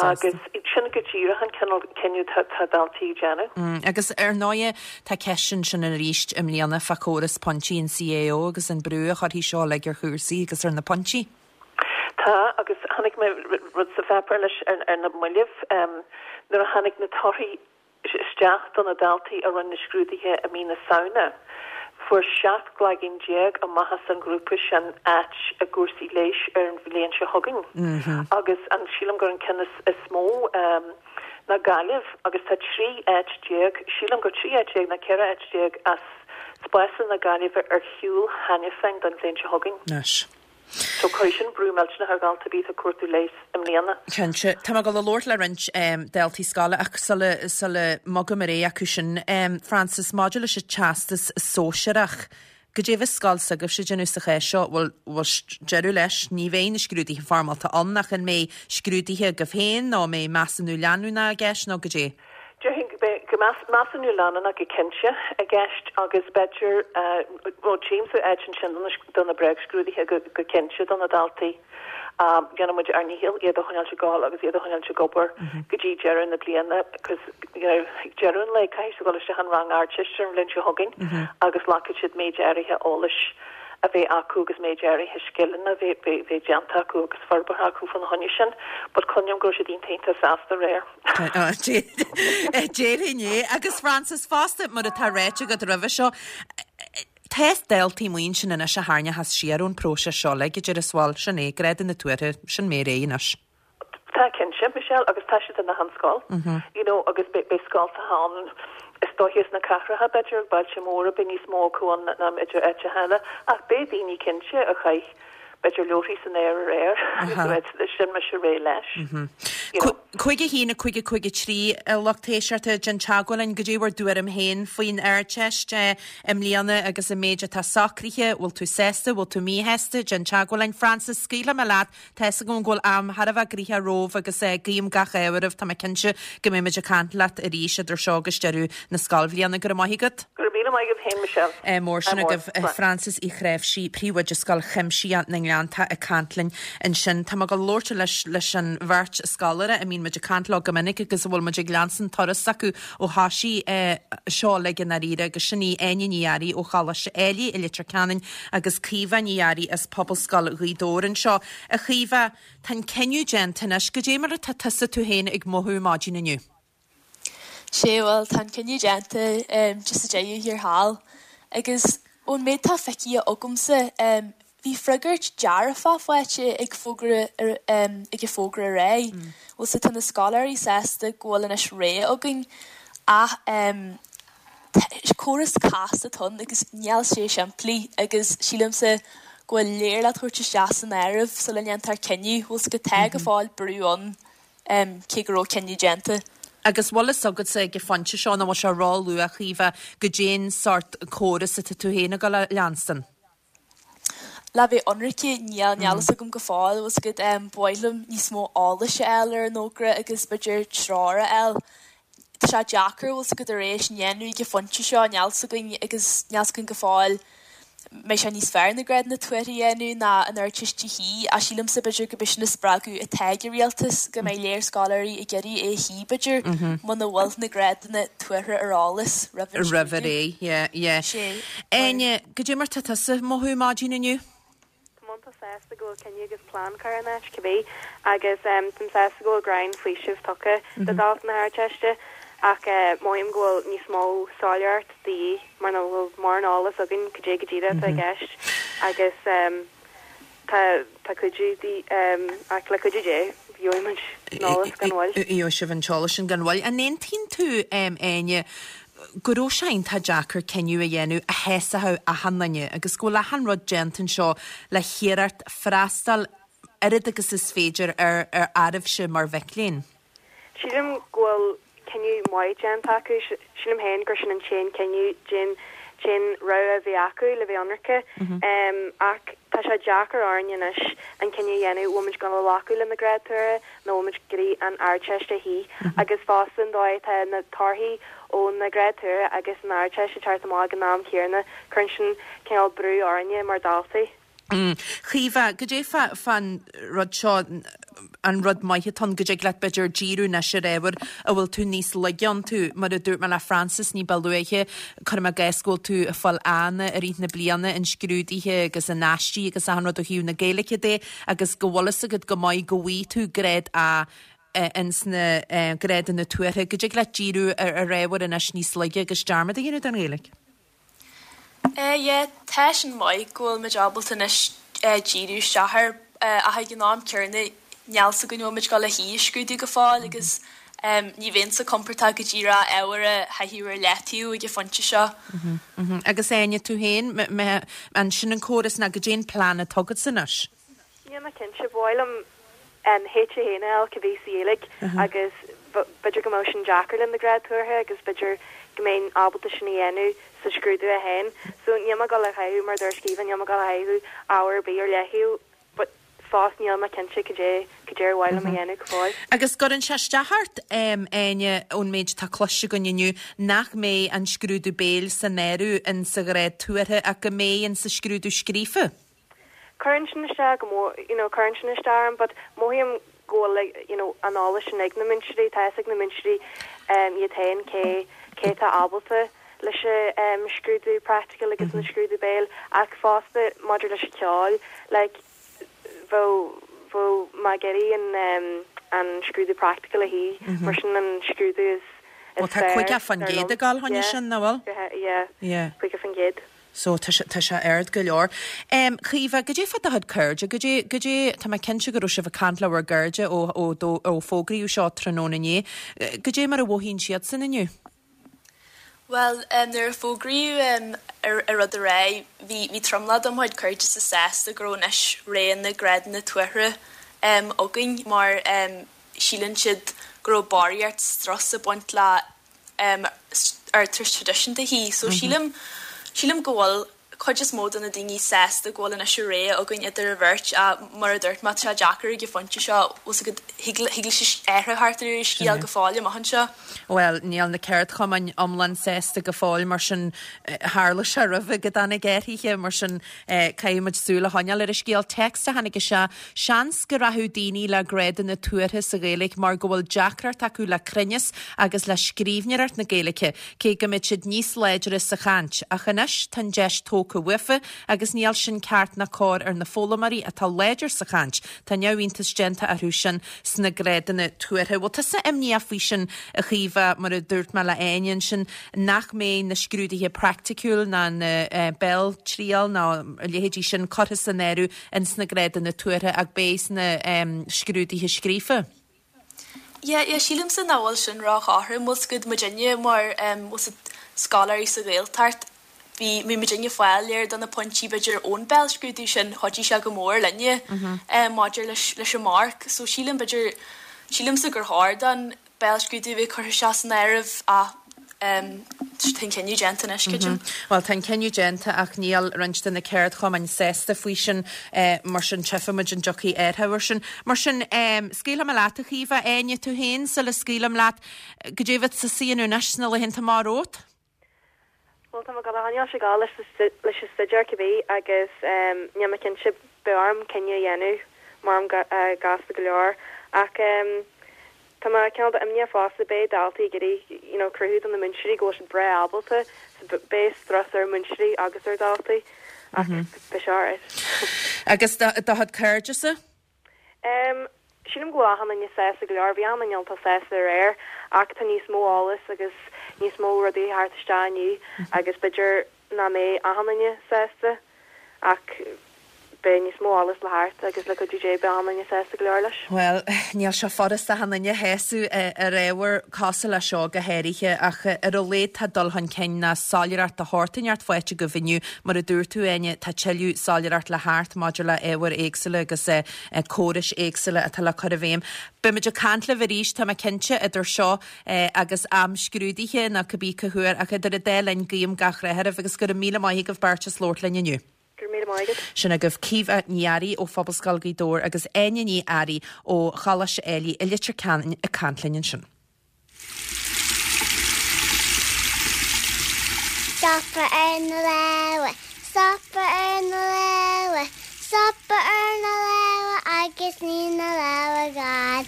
agus sin go díreach an cineál cinneadh atá daltaí ag déanamh. Agus ar ndóighe tá ceist ansin arís i mbliana fá chóras pointí an CAO agus an brú a chuirfidh seo uilig ar chúrsaí agus ar na pointí. Tá, agus chonaic mé rud sa pháipéar leis ar na mallaibh nuair a tháinig na torthaí isteach do na daltaí a rinne na scrúduithe i mí na Samhna, fuair seacht gcloigeann déag amach as an ghrúpa sin áit i gcúrsaí leighis ar an bhliain seo chugainn. Agus an, sílim gur an ceann is, is mó ná Gaillimh agus tá trí áit déag, sílim gur trí áit déag nó ceithre áit déag as spásanna na Gaillimhe ar shiúl cheana féin don bhliain seo chugainn. Anois. So cuirfidh sin brú millteanach ar dhalta ar bith atá ag cuartú leighis i mbliana. Cinnte. Tá mé ag dul a labhairt le roinnt daltaí scoile ach sula sula mbogaim ar aghaidh acu sin, Frances, maidir leis an Teastas Sóisearach, goidé a bheas scoil s'agaibhse ag déanamh sa chás seo, bhfuil bhfuil deireadh leis, ní bheidh na scrúduithe foirmeálta ann ach an mbeidh scrúduithe agaibh féin nó an mbeidh measúnú leanúnach i gceist nó goidé? Déarfainn go mbeidh go mbeadh measúnú leanúnach go cinnte i gceist agus b'fhéidir, bhuel tchímse áit ansin do na bréagscrúduithe go cinnte do na daltaí. Déanann muid ár ndícheall iad a choinneáilt ag gabháil agus iad a choinneáilt ag obair go dtí deireadh na bliana because you know ag deireadh an lae caithfidh siad dul isteach an rang Ardteiste an bhliain seo chugainn agus glacfaidh siad méid áirithe eolais a bheith acu agus méid áirithe scileanna a bheith bheith déanta acu agus forbartha acu faoina choinne sin but cluinim go raibh siad iontach iontach sásta aréir. Déarfainn é. Agus Frances, fosta, mar atá ráite agat roimhe seo, tá daltaí amuigh ansin anois a tharraingeochas siar ón bpróiseas seo uilig, a déarfas, bhuel, sin é, grádanna tuartha, sin mé réidh anois. Tá cinnte, Michelle, agus tá siad in achan scoil, you know, agus beidh scoltacha ann, is dóiche sna cathracha, b'fhéidir, bailte móra, beidh níos mó acu ann ná idir áiteacha eile, ach beidh daoine cinnte a chaith, b'fhéidir, leabharthaí san aer aréir agus a sin mise réidh leis. You know. Cúig a haon, a cúig, a cúig a trí, a lucht éisteachta, déan teagmháil linn, goidé bhur dtuairim féin faoin Ardteist i mbliana agus an méid atá socraithe, bhfuil tú sásta, bhfuil tú míshásta, déan teagmháil linn. Frances, scaoilfidh mé leat, Tá fhios agam go bhfuil am thar a bheith gnoitheach romhaibh agus guím gach ádh oraibh. Tá mé cinnte go mbeidh muid ag caint leat arís idir seo agus deireadh na scoilbhliana. Go raibh maith agat. Go raibh míle maith agat féin, Michelle. Ádh mór sin agaibh. Frances Uí Chnáimhsí, Príomhoide Scoil Chuimsitheach na nGleanntach ag caint linn ansin. Tá mé ag dul labhairt leis leis an bheirt scoláire a mbíonn muid ag caint leo go minic agus a bhfuil muid ag leanstan turas s'acu ó thoisigh seo uilig i ndáiríre agus sin í Áine Ní Fhearraigh ó Choláiste Ailigh i Leitir Ceanainn agus Caoimhe Ní Fhearraigh as Pobalscoil Ghaoth Dobhair anseo. A Chaoimhe, tá an cinneadh déanta anois. Goidé mar atá tusa tú féin ag mothú maidin inniu? Sé, bhuel, tá an cinneadh déanta just sa deireadh thiar thall. Agus ón méid atá feicthe agamsa, bhí freagairt dearfach faighte ag fógra ag an fógra aréir. Bhuel, so tá na scoláirí sásta go bhfuil anois rogha againn ach córas casta atá ann agus níl sé simplí agus sílimse go bhfuil léar le tabhairt isteach san áireamh sula ndéantar cinneadh, bhfuil 's agat tá go fóill brú ann cé go raibh cinneadh déanta. Agus bhfuil fhios agatsa ag an phointe seo nó bhfuil sé ró-luath, a Chaoimhe, goidé'n sórt córas atá tú féin ag dul a leanstan? Le bheith ionraice, níl, níl fhios agam go fóill, bhfuil 's agat, ba mhaith liom níos mó eolais a fháil ar an fhógra agus b'fhéidir treoir a fháil. Tá sé deacair, bhfuil 's agat, tar éis a dhéanamh ag an phointe seo, níl 's againn agus níl 's againn go fóill mbeidh sé níos fearr na grádanna tuartha a dhéanamh ná an Ardteist a shuí ach sílimse b'fhéidir go b'é sin an spreagadh atá ag an rialtas go mbeidh léar scoláirí ag iarraidh é a shuí b'fhéidir muna bhfuil na grádanna tuartha ar eolas roimh an Roimh a ré, yeah, yeah. Sé. Áine, goidé mar tá tusa ag mothú maidin inniu? Táim iontach sásta go bhfuil cinneadh agus plean curtha in áit, cibé, agus táim sásta go bhfuil greim faoisimh tugtha do dhaltaí na hArdteiste ach mothaím go bhfuil níos mó soiléireacht de dhíth mar nach bhfuil mórán eolas againn cad é go díreach atá i gceist agus tá tá cuidiú de ach le cuidiú Dé gheobhaidh muid an eolas gan mhoill. Gheobhaidh sibh an t-eolas sin gan mhoill. An aontaíonn tú, Áine, go raibh sé iontach deacair cinneadh a dhéanamh a shásaíodh achan duine agus go bhfuil achan rud déanta anseo le hiarracht freastal oiread agus is féidir ar ar oraibhse mar mhic léinn. Sílim go bhfuil cinneadh maith déanta acu. Sílim féin gur sin an t-aon cinneadh, t-aon t-aon rogha a bhí acu le bheith ionraice. Ach tá sé deacair orainn anois an cinneadh a dhéanamh, bhfuil muid gonna glacadh le na gráid tuartha nó bhfuil muid ag iarraidh an Ardteist a shuí. Agus fosta an dóigh atá na torthaí ó na gráid tuartha agus an Ardteist ag teacht amach ag an am chéanna, cuireann sin cineál brú orainne mar dhaltaí. Caoimhe, goidé fá fán rud seo, an rud maith atá ann go dtig leat b'fhéidir díriú anois ar ábhair a bhfuil tú níos laige iontu. Mar a dúirt mé le Frances ní ba luaithe, cuirim i gcás go bhfuil tú ag fáil A-anna i rith na bliana in scrúduithe agus in aistí agus achan rud ó thaobh na Gaeilge de agus go bhfuil fhios agat go maith go bhfaighidh tú grád A ins na grádanna tuartha, go dtig leat díriú ar ar ábhair anois níos laige agus dearmad a dhéanamh den Ghaeilge. Eh yeah, tá sin maith go bhfuil muid ábalta anois díriú isteach air ach ag an am céanna níl 's againn bhfuil muid ag dul le shuí a scrúdú go fóill agus ní bheinnse compordach go díreach ábhar a chaitheamh ar leataobh ag an phointe seo. Agus Áine, tú féin, an sin an córas ná goidé an plean atá agatsa anois? Níl mé cinnte, ba mhaith liom an H a haon a fháil cibé sa Ghaeilge agus b'fhéidir go mbeadh sin deacair le na gráid tuartha agus b'fhéidir go mbeinn ábalta sin a dhéanamh sa scrúdú a haon. So níl mé ag dul a chaitheamh mar a dúirt Caoimhe, níl mé ag dul a chaitheamh ábhar ar bith ar leataobh but fós níl mé cinnte cad é cad é ar mhaith liom a dhéanamh go fóill. Agus gcuireann sé isteach ort, Áine, ón méid atá cloiste againn inniu, nach mbeidh an scrúdú béil san áireamh in sa ghrád tuartha ach go mbeidh in sa scrúdú scríofa? Cuireann sin isteach go mór, you know, cuireann sin isteach orm but mothaím go bhfuil like, you know, an eolas sin ag na múinteoirí, tá fhios ag na múinteoirí um, iad féin cé cé tá ábalta leis an um, scrúdú practical agus an scrúdú béil ach fosta maidir leis an ceol, like, bheadh bheadh mé ag iarraidh an um, an scrúdú practical a shuí mar sin an scrúdú is Well, tá caoga faoin gcéad ag gabháil chuige sin, nach bhfuil? Yeah, Yeah. caoga faoin gcéad. So tá sé tá sé ard go leor. Um, Caoimhe, goidé fá do chuid cairde, goidé goidé tá mé cinnte go raibh sibh ag caint le bhur gcairde ó ó dó ó fógraíodh seo tráthnóna inné. Goidé mar a mhothaíonn siadsan inniu? Well, um, nuair a fógraíodh um, ar, ar rud a ré, bhí bhí tromlach de mo chuid cairde sa sásta go raibh anois ré na grádanna tuartha um, againn mar um, síleann siad go raibh barraíocht strus ag baint le um, ar traidisiúnta hí, so mm -hmm. sílim sílim go bhfuil cuid is mó de na daoine sásta go bhfuil anois ré againn idir an bheirt a mar a dúirt má tá deacair ag an phointe seo go thig leis athrú thart ar scéal go fóill amach anseo. Well, níl na ceardchumainn iomlán sásta go fóill mar sin tharla sé roimhe go dtáinig athruithe mar sin caithfimid súil a choinneáil ar an scéal téacs a tháinig sé seans go rachadh daoine le grádanna tuartha sa Ghaeilge mar go bhfuil deacracht acu le cruinneas agus le scríbhneoireacht na Gaeilge cé go mbeidh siad níos láidre sa chaint ach anois tá an deis tógtha uafa agus níl sin ceart ná cóir ar na foghlaimeoirí atá láidir sa chaint Tá neamhiontas déanta orthu sin sna grádanna tuartha. Bhfuil tusa imníoch faoi sin a Chaoimhe mar a dúirt mé le Áine sin nach mbeidh na scrúduithe praiticiúil ná na uh, béaltriail ná a leithéidí sin curtha san áireamh in sna grádanna tuartha ach beidh sna um, scrúduithe scríofa. Yeah, yeah, sílimse nach bhfuil sin róchothrom bhfuil go muidinne mar um, scoláirí sa Ghaeltacht bhí mé muidinne fáil léir do na pointí b'fhéidir ón béalscrúdú sin chuidigh sé go mór linne um, maidir leis leis an marc, so sílim b'fhéidir sílimse gur chóir don béalscrúdú bheith curtha sé san áireamh a um, tá an cinneadh déanta anois mm Well tá an cinneadh déanta ach níl roinnt de na ceardchumainn sásta faoi sin eh, mar sin tchífimid an dtiocfaidh athrú air sin. Mar sin um, scaoilfidh mé leat a Chaoimhe Áine tú féin sula scaoilim leat goidé a bheas tusa ag déanamh anois sna laethanta amach romhat? Well tá go háil se gá leis leis an staidéar cibé agus níl mé cinnte beidh orm cinneadh a dhéanamh mar am gasta go leor ach um, Tá mé cineál imníoch fosta beidh daltaí ag iarraidh you know, cruthú do na múinteoirí go bhfuil siad breá ábalta so beidh strus ar múinteoirí agus ar daltaí ach mm -hmm. beidh sé. Agus do do chairdese? Um, Sílim go bhfuil an sásta go leor bhí an tá sásta aréir ach tá níos mó eolas agus níos mó rudaí thart isteach agus b'fhéidir nach mbeidh achan duine sásta ach beidh níos mó eolas le theacht agus le cuidiú Dé beidh achan duine sásta go leor leis. Well, níl sé furasta achan duine a shásamh ar ábhar cosúil le seo go háirithe ach ar a laghad tá dul chun cinn ná soiléireacht de shórt inteacht faighte agaibh inniu mar a dúirt tú Áine tá tuilleadh soiléireacht le theacht maidir le ábhair éagsúla agus córais éagsúla atá le cur i bhfeidhm. Beimid ag caint libh arís tá mé cinnte idir seo agus am scrúdaithe nó cibé cá huair ach idir an dá linn guím gach rath oraibh agus go raibh míle maith agaibh beirt as labhairt linn inniu. Sin agaibh Caoimhe Ní Fhearraigh ó Phobalscoil Ghaoth Dobhair agus Áine Ní Fhearraigh ó Choláiste Éilí i Leitir Ceanainn ag caint linn ansin. Stopadh ar na lámha, stopadh ar na lámha, stopadh ar na lámha agus ní na lámha gan.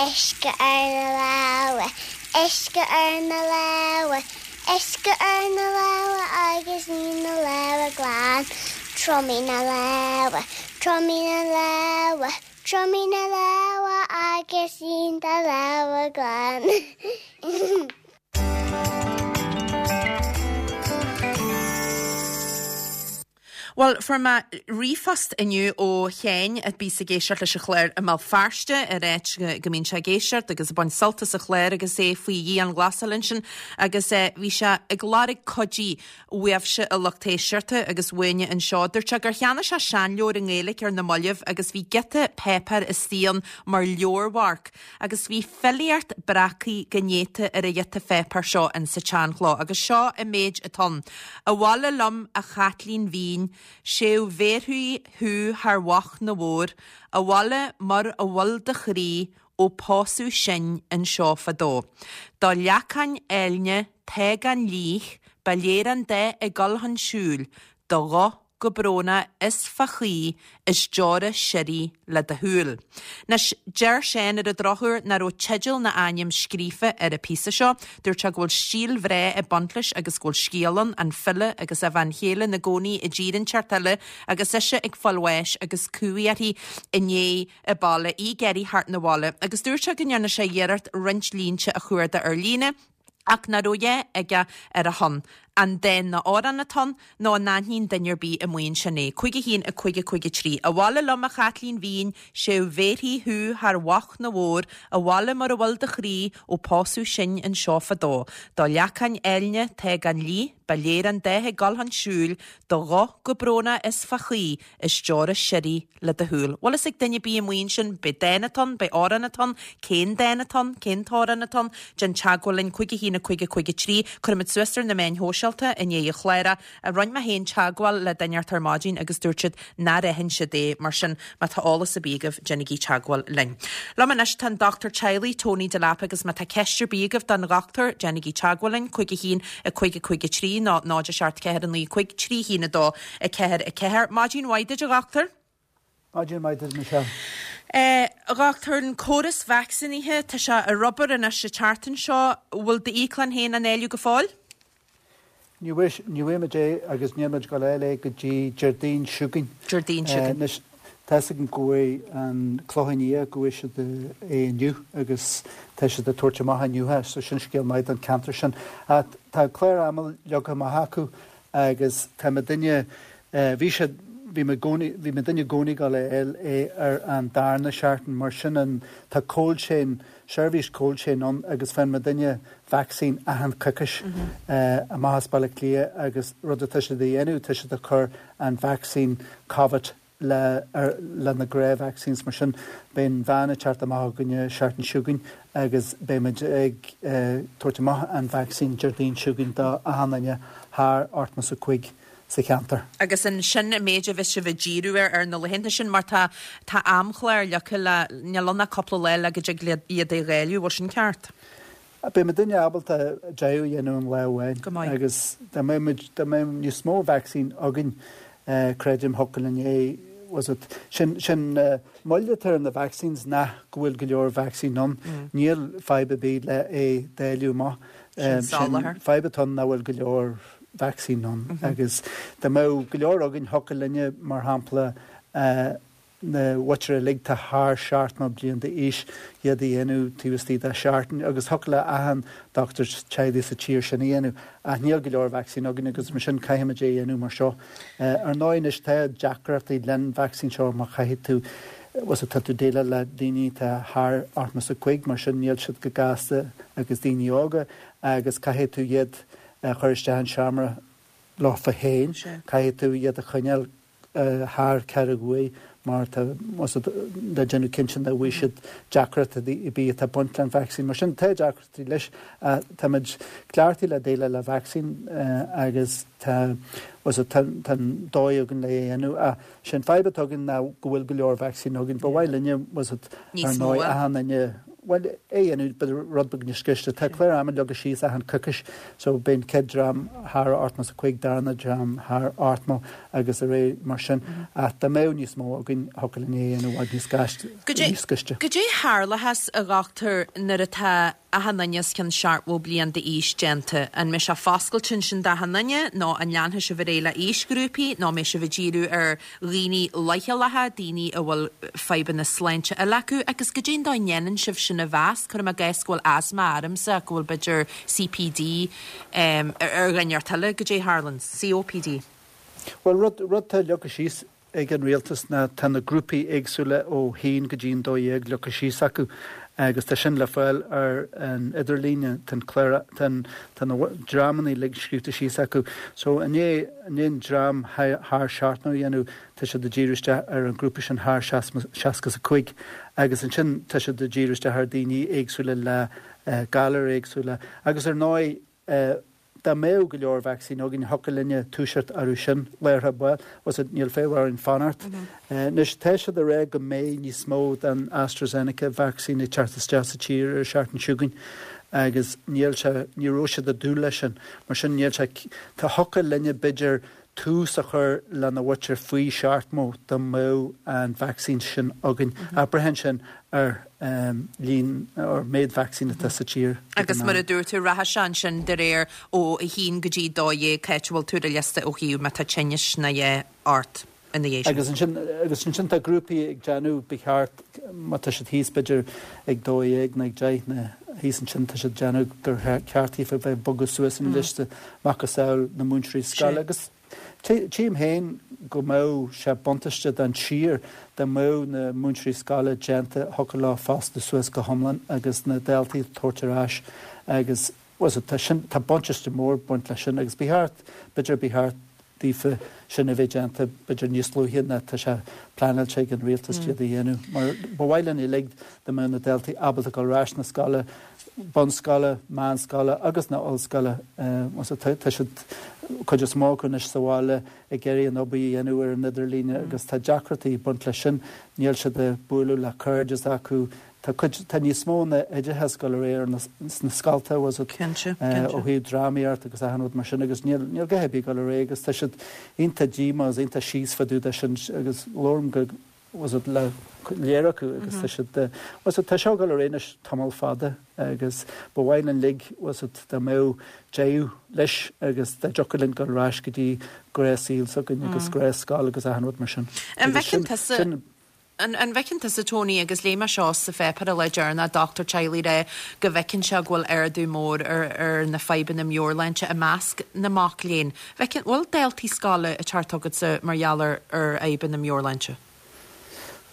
Uisce ar na lámha, uisce ar na lámha, uisce ar na lámha agus ní na lámha glan. Triomaigh na lámha, triomaigh na lámha, Triomaigh na lámha agus líon do lámha glan. Bhuel, fuair mé ríomhphost inniu ó Sheáin a bhíos ag éisteacht leis an chlár i mBéal Feirste ar áit go mbíonn sé ag éisteacht agus ag baint sult as an chlár agus é faoi dhianghlasáil ansin agus eh, bhí sé ag lorg cuidiú uaibhse a lucht éisteachta agus uainne anseo. Dúirt sé gur cheannaigh sé seanleabhar i nGaeilge ar na mallaibh agus bhí giota páipéir istigh ann mar leabharmharc agus bhí filíocht breactha go néata ar an ghiota pháipéir seo insa tseanchló agus seo an méid atá ann. Abhaile liom a chaitlín mhín, Sé bhéarfaidh thú thar mhac na mhór, abhaile mar a bhfuil do chroí ó pósadh sinn anseo fadó. Do leacáin áilne tá gan líth, ba léir an dá ag dul chun siúil, do ghuth go brónach is fá chaoi is deora sirí le do shúil. Anois, deir Seán ar an drochuair nach raibh teideal ná ainm scríofa ar an phíosa seo. Dúirt sé go bhfuil stíl bhreá ag baint leis agus go bhfuil scéal ann, an file agus a bhean chéile ina gcónaí i dtír inteacht eile agus ise ag fáil bháis agus cumhaidh uirthi i ndiaidh a baile, í ag iarraidh theacht 'na bhaile. Agus dúirt sé go ndearna sé iarracht roinnt línte a chuardach ar líne, ach nach raibh a dhath aige ar a shon. An dán nó amhrán atá ann, nó an aithníonn duine ar bith amuigh ansin é? Cúig a haon, a cúig a cúig a trí. Abhaile liom a chaitlín mhín, sé bhéarfaidh thú thar mhac na bhór, abhaile mar a bhfuil do chroí ó pósadh sinn anseo fadó. Do leacáin áilne tá gan líth, ba léir an dáth ag dul chun siúil, do ghuth go brónach is fá chaoi, is deora sirí le do shúil. Bhfuil fhios ag duine ar bith amuigh ansin, pé dán atá ann, pé amhrán atá ann, cén dán atá ann, cén t-amhrán atá ann, déan teagmháil linn, cúig a haon a cúig a cúig a trí, cuirfimid suas ar na meáin shóisialta i ndiaidh an chláir é. Rinne mé féin teagmháil le duine ar maidin agus dúirt siad nár aithin siad é, mar sin má tá eolas ar bith agaibh, déanaigí teagmháil linn. Liom anois tá an dochtúir teaghlaigh Tony Delap agus má tá ceist ar bith agaibh don dhochtúir, déanaigí teagmháil linn, cúig a haon a cúig a cúig a trí nó náid a seacht ceathair a naoi cúig trí haon a dó a ceathair a ceathair. Maidin mhaith duit a dhochtúir. Maidin mhaith duit Michelle. Eh, a dhochtúir, an córas vacsaínithe, tá sé ar obair anois an tseachtain seo, bhfuil d'íoclann féin á dháileadh go fóill? Ní bhfuair muid é agus níl muid ag dul a fháil é go dtí Déardaoin seo chugainn. Déardaoin seo chugainn. Anois, tá fhios agam go bhfuair an Clochán Liath, go bhfuair siad é inniu agus tá siad ag tabhairt amach inniu é, so sin scéal maith don cheantar sin. Ach tá clár ama leagtha amach acu agus tá muidinne, bhí siad, bhí mé i gcónaí, bhí muidinne i gcónaí ag dul a fháil é ar an darna seachtain, mar sin an, tá cold chain, seirbhís cold chain ann agus faigheann muidinne vacsaín achan coicís amach as Baile Átha Cliath agus rud atá siad a dhéanamh, tá siad ag cur an vacsaín Covid le ar le na gnáth vaccines mar sin beidh an veain ag teacht amach chugainne seachtain seo chugainn agus beidh muid ag tabhairt amach an vacsaín Déardaoin seo chugainn do achan duine thar ochtó is a cúig sa cheantar. Agus an sin an méid a bheas sibh ag díriú air ar na laethanta sin mar tá tá amchlár leagtha le níl ann ach cúpla lá le go dtig iad a dháileadh, bhfuil sin ceart? Beidh muidinne ábalta deich a dhéanamh in lá amháin Go maith. agus dá mbeadh muid dá mbeadh níos mó vacsaín againn creidim thiocfadh linn é was it sin sin moill atá ar na vaccines nach go bhfuil go leor vacsaín ann. Níl fadhb ar bith le é dáileadh amach. Sin soláthar. Fadhb atá ann nach bhfuil go leor vacsaín ann agus dá mbeadh go leor againn thiocfadh linne mar shampla na mhuintir uilig atá thar seachtó bliain d'aois iad a dhéanamh taobh istigh de sheachtain agus thiocfadh le achan dochtúir teaghlaigh sa tír sin a dhéanamh ach níl go leor vacsaín againn agus mar sin caithfimid é a dhéanamh mar seo. Ar ndóigh anois tá deacrachtaí len vacsaín seo má chaithfidh tú was tá tú déileáil le daoine atá thar ochtó is a cúig mar sin níl siad go gasta agus daoine óga agus caithfidh tú iad a chur isteach in seomra leofa féin, caithfidh tú iad a choinneáil thar ceathrú uair mar tá le déanamh cinnte nach bhfaighidh siad deacrachtaí ar bith atá ag baint le an vacsaín. Mar sin tá deacrachtaí leis. Táimid cleachtaithe le déileáil le vacsaín agus tá tá an dóigh againn le é a dhéanamh. Ach sin fadhb atá againn ná go bhfuil go leor vacsaín againn. Ba mhaith linne ar ndóigh achan duine bhuel, é a dhéanamh b'fhéidir rud beag níos gaiste. Tá clár ama leagtha síos achan coicís so beidh an chéad dream thar ochtó is a cúig, darna dream thar ochtó agus ar aghaidh mar sin. Ach dá mbeadh níos mó againn thiocfadh linn é a dhéanamh i bhfad níos gaiste. Goidé tharlóchas a dhochtúir nuair atá achan duine os cionn seachtó bliain d'aois déanta. An mbeidh sé foscailte ansin d'achan duine nó an leanfaidh sibh ar aghaidh le aoisghrúpaí nó an mbeidh sibh ag díriú ar dhaoine leochaileacha, daoine a bhfuil fadhbanna sláinte eile acu agus goidé an dóigh a ndéanann sibh sin a mheas? Cuirim i gcás go bhfuil asma ormsa ach go bhfuil b'fhéidir CPD ar dhuine inteacht eile, goidé a tharlaíonn? COPD. Bhuel, rud, rud atá leagtha síos ag an rialtas ná tá na grúpaí éagsúla ó haon go dtí an dó dhéag leagtha síos acu agus tá sin le fáil ar an idirlíne, tá an clár, tá tá na dreamanna uilig scríobhta síos acu. So i ndiaidh, i ndiaidh an dream thar seachtó a dhéanamh, tá siad ag díriú isteach ar an grúpa sin thar seasca is a cúig agus ansin tá siad ag díriú isteach ar daoine éagsúla le galair éagsúla agus ar ndóigh, Dá mbeadh go leor vacsaín againn, thiocfadh linne toiseacht orthu sin láithreach ball, bhfuil 's a'd, níl fadhb orainn fanacht. Anois, tá siad ag rá go mbeidh níos mó den AstraZeneca vacsaín ag teacht isteach sa tír ar an seachtain seo chugainn agus níl sé, ní raibh siad ag dúil leis sin. Mar sin, níl sé, tá, thiocfadh linne b'fhéidir tús a chur lena mhuintir faoi seachtó dá mbeadh an vacsaín sin againn. Ach braitheann sin ar líon, ar méid vacsaín atá sa tír ag an Agus mar a dúirt tú, rachaidh sé ansin de réir ó a haon go dtí dó dhéag, cá háit a bhfuil tú ar an liosta ó thaobh má tá tinneas nó a dhath ort ina dhiaidh sin. Agus ansin, agus ansin tá grúpaí ag déanamh, ba cheart, má tá siad thíos b'fhéidir ag dó dhéag nó ag deich nó thíos ansin, tá siad ag déanamh gur cheart daofa bheith ag bogadh suas an liosta, macasamhail na múinteoirí scoile agus tchím féin go mbeadh sé buntáiste don tír dá mbeadh na múinteoirí scoile déanta, thiocfadh leo fostú suas go hiomlán agus na daltaí a thabhairt ar ais agus, bhuel, tá sin, tá buntáiste mór ag baint leis sin agus ba cheart, b'fhéidir ba cheart daofa sin a bheith déanta b'fhéidir níos luaithe ná tá sé pleanáilte ag an rialtas iad a dhéanamh mar ba mhaith linn uilig dá mbeadh na daltaí ábalta dul ar ais na scoile, bunscoile, meánscoile agus na ollscoile. Tá siad, cuid is mó acu anois sa bhaile ag iarraidh an obair a dhéanamh ar an idirlíne agus tá deacrachtaí ag baint leis sin. Níl siad ag bualadh le cairde s'acu. Tá cuid, tá níos mó ná oideachas ag dul ar aghaidh ar na, sna scolta, bhfuil 's a'd, Cinnte, ó cinnte. thaobh drámaíocht agus achan rud mar sin agus níl, níl a dhath ar bith ag dul ar aghaidh agus tá siad iontach díomách agus iontach síos fá dtaobh de sin agus labhraím go, bhfuil 's a'd, le léir acu agus tá siad, bhfuil 's a'd, tá seo ag dul ar aghaidh anois tamall fada agus ba mhaith linn uilig, bhfuil 's a'd, dá mbeadh deireadh leis agus dá dtiocfadh linn dul ar ais go dtí gnáthshaol s'againn agus gnáthscoil agus achan rud mar sin. An Agus bhfeiceann sin, tusa, sin, An bhfeiceann tusa, Tony, agus léigh mé seo sa pháipéar an lá deireanach, dochtúir teaghlaigh ag rá go bhfeiceann sé go bhfuil ardú mór ar ar na fadhbanna meabhairshláinte i measc na mac léinn. Bhfeiceann, bhfuil daltaí scoile ag teacht chugatsa mar gheall ar ar fhadhbanna meabhairshláinte?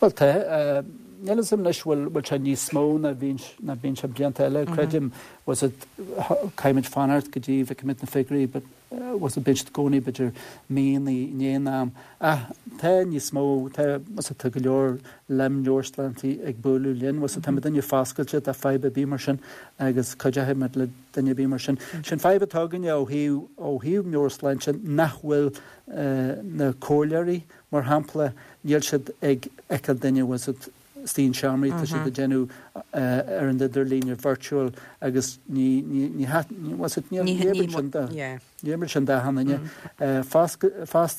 Bhuel tá. Níl a fhios agam anois bhfuil bhfuil sé níos mó ná bhíonn ná bíonn sé blianta eile. Creidim, bhfuil 's a'd, caithfimid fanacht go dtí bhfeicfimid na figiúirí but bhfuil 's a'd bíonn siad i gcónaí b'fhéidir mí i ndiaidh an am. Ach tá níos mó, tá, bhfuil 's a'd, tá go leor le meabhairshláinte ag bualadh linn, bhfuil 's a'd, tá muidinne foscailte do fadhb ar bith mar sin agus cuideoidh muid le duine ar bith mar sin. Sin fadhb atá againne ó thaobh, ó thaobh meabhairshláinte nach bhfuil na comhairleoirí, mar shampla, níl siad ag feiceáil duine, bhfuil 's a'd, istigh in seomraí, tá siad ag déanamh ar an idirlíne virtual agus ní, ní, ní, bhfuil 's a'd, níl, ní oibríonn sin do, ní oibríonn sin d'achan duine. Fosta,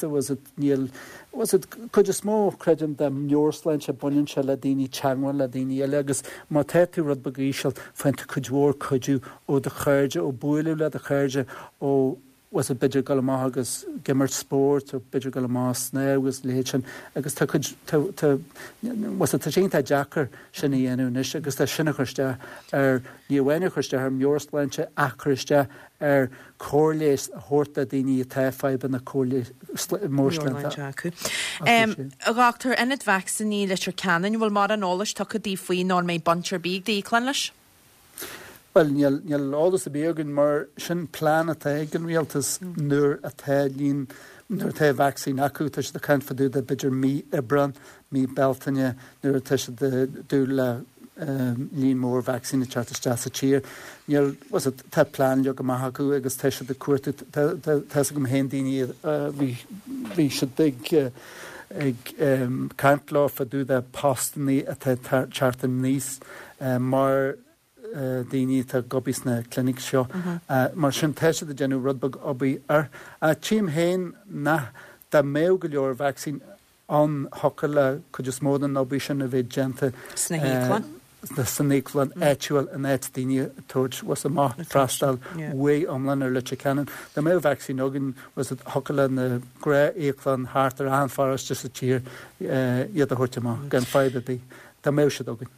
bhfuil 's a'd, níl, bhfuil 's a'd, cuid is mó, creidim, de meabhairshláinte, baineann sé le daoine teagmháil le daoine eile agus má tá tú rud beag íseal, faigheann tú cuid mhór cuidiú ó do chairde, ó bualadh le do chairde, ó bhfuil 's a'd, b'fhéidir dul amach agus ag imirt spóirt nó b'fhéidir dul amach snámh agus a leithéid sin agus tá cuid, tá, tá, bhfuil 's a'd, tá sé iontach deacair sin a dhéanamh anois agus tá sin ag cur isteach ar, ní amháin ag cur isteach ar meabhairshláinte ach cur isteach ar cóir leighis a thabhairt do daoine atá fadhbanna cóir meabhairshláinte acu. A dhochtúir, Ionad Vacsaíní Leitir Ceanainn, bhfuil mórán eolais tugtha daoibh faoi nó an mbeidh baint ar bith ag d'íoclann leis? Bhuel, níl, níl eolas ar bith againn mar sin plean atá ag an rialtas nuair atá líon, nuair atá vacsaín acu, tá siad ag caint fá dtaobh de b'fhéidir mí Aibreán, mí Bealtaine nuair atá siad ag dúil le líon mór vacsaín ag teacht isteach sa tír. Níl, bhfuil 's a'd, tá plean leagtha amach acu agus tá siad ag cuartú, tá, tá, tá 'fhios agam féin daoine a bhí, bhí siad ag, ag caint leo fá dtaobh de postannaí atá ag teacht aníos mar, daoine atá ag obair sna clinics seo. Mar sin tá siad ag déanamh rud beag obair air. Ach tchím féin nach, dá mbeadh go leor vacsaín ann thiocfadh le cuid is mó den obair sin a bheith déanta Sna híoclann. san íoclann áitiúil in áit daoine a tabhairt was amach freastal uaidh iomlán ar Leitir Ceanainn. Dá mbeadh vacsaín againn was thiocfadh le na gnáth-íoclann thart ar achan pharóiste sa tír iad a thabhairt amach gan fadhb ar bith. Dá mbeadh siad againn.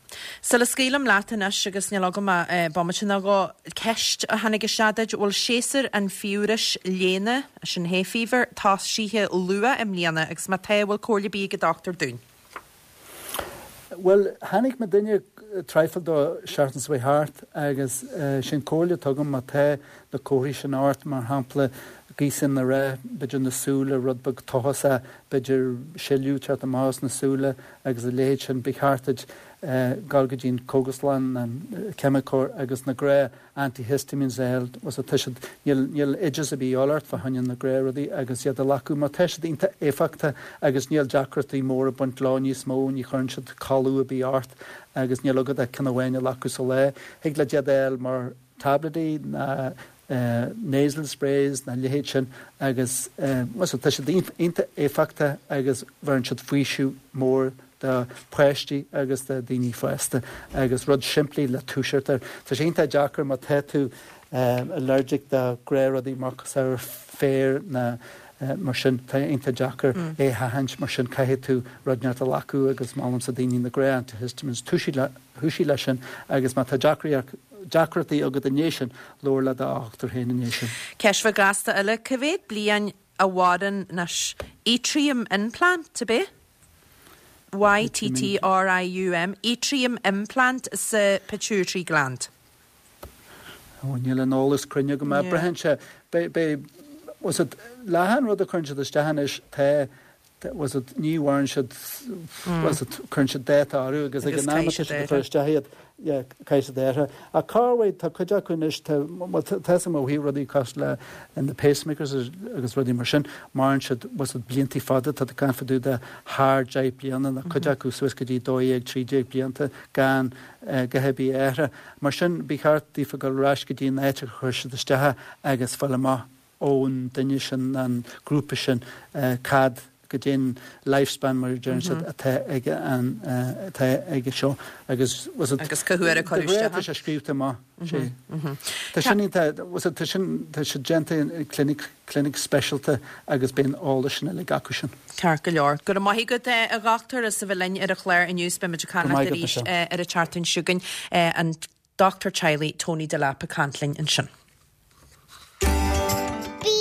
Sula scaoilim leat anois agus níl agam ach bomaite nó dhó, ceist a tháinig isteach duit, bhfuil séasúr an fiabhrais léana, sin hay fever, tosaithe luath i mbliana agus má tá, bhfuil comhairle ar bith ag an dochtúir dúinn? Bhuel, tháinig mo duine traidhfil dó seachtain seo thart agus sin comhairle atá agam má tá na comharthaí sin ort, mar shampla gaoth na rith, b'fhéidir na súile rud beag tochasach, b'fhéidir sileadh teacht amach as na súile agus a leithéid sin, ba cheart duit dul go dtí an cógaslann, an ceimiceoir agus na gnáth antihistamines a fháil, was tá siad, níl, níl oideas ar bith a dhíobháil ort fá choinne na gnáth rudaí agus iad a ghlacadh mar tá siad iontach éifeachtach agus níl deacrachtaí móra ag baint leo níos mó, ní chuireann siad codladh ar bith ort agus níl agat ach ceann amháin a ghlacadh sa lá. Thig leat iad a fháil mar tablaidí ná nasal sprays ná a leithéid sin agus was tá siad iontach éifeachtach agus bheireann siad faoiseamh mór do pháistí agus do daoine fásta agus rud simplí le toiseacht air. Tá sé iontach deacair má tá tú allergic do ghnáthrudaí mar cosúil féar ná mar sin, tá iontach deacair é a sheachaint mar sin caithfidh tú rud inteacht a ghlacadh agus molaimse daoine na gnáth antihistamines toiseacht leis sin agus má tá deacrachtaí agat i ndiaidh sin, labhair le do dhochtúir féin i ndiaidh sin. Ceist bheag ghasta eile, cá mhéad bliain a mhaireann anois Yttrium implant, ab é? Y T T R I U M, Yttrium implant sa pituitary gland. Ó, níl an eolas cruinn agam. Yeah. Braitheann sé, beidh, was it, le an rud a chuireann siad isteach anois, tá, was it, ní mhaireann siad, was it, cuireann siad dáta orthu agus ag an am atá siad ag cur isteach iad, yeah, caithfidh siad athrú. Ach cá bhfuil, tá cuid acu anois, tá, bhuel, tá a fhios agam ó thaobh rudaí cosúil le na pacemakers agus rudaí mar sin, maireann siad, was it, blianta fada, tá tú ag caint fá dtaobh de thar deich bliana, nó cuid acu suas go dtí dó dhéag, trí déag blianta gan a dhath ar bith a athrú. Mar sin, ba cheart daofa dul ar ais go dtí an áit a chuir siad isteach agus fáil amach ón duine sin, an grúpa sin, cad goidé an lifespan mar a deireann siad atá ag an atá aige seo agus was it Agus cá huair a cuireadh isteach tá sé scríobhta amach sé. Tá sin iontach was it tá sin tá sé déanta i clinic clinic speisialta agus beidh an eolas sin uilig acu sin. Ceart go leor. Go raibh maith agat a dhochtúir as a bheith linn ar an chlár inniu is beimid ag caint leat arís ar an tseachtain seo chugainn. An Dochtúir Teaghlaigh Tony Delap ag caint linn ansin. Bí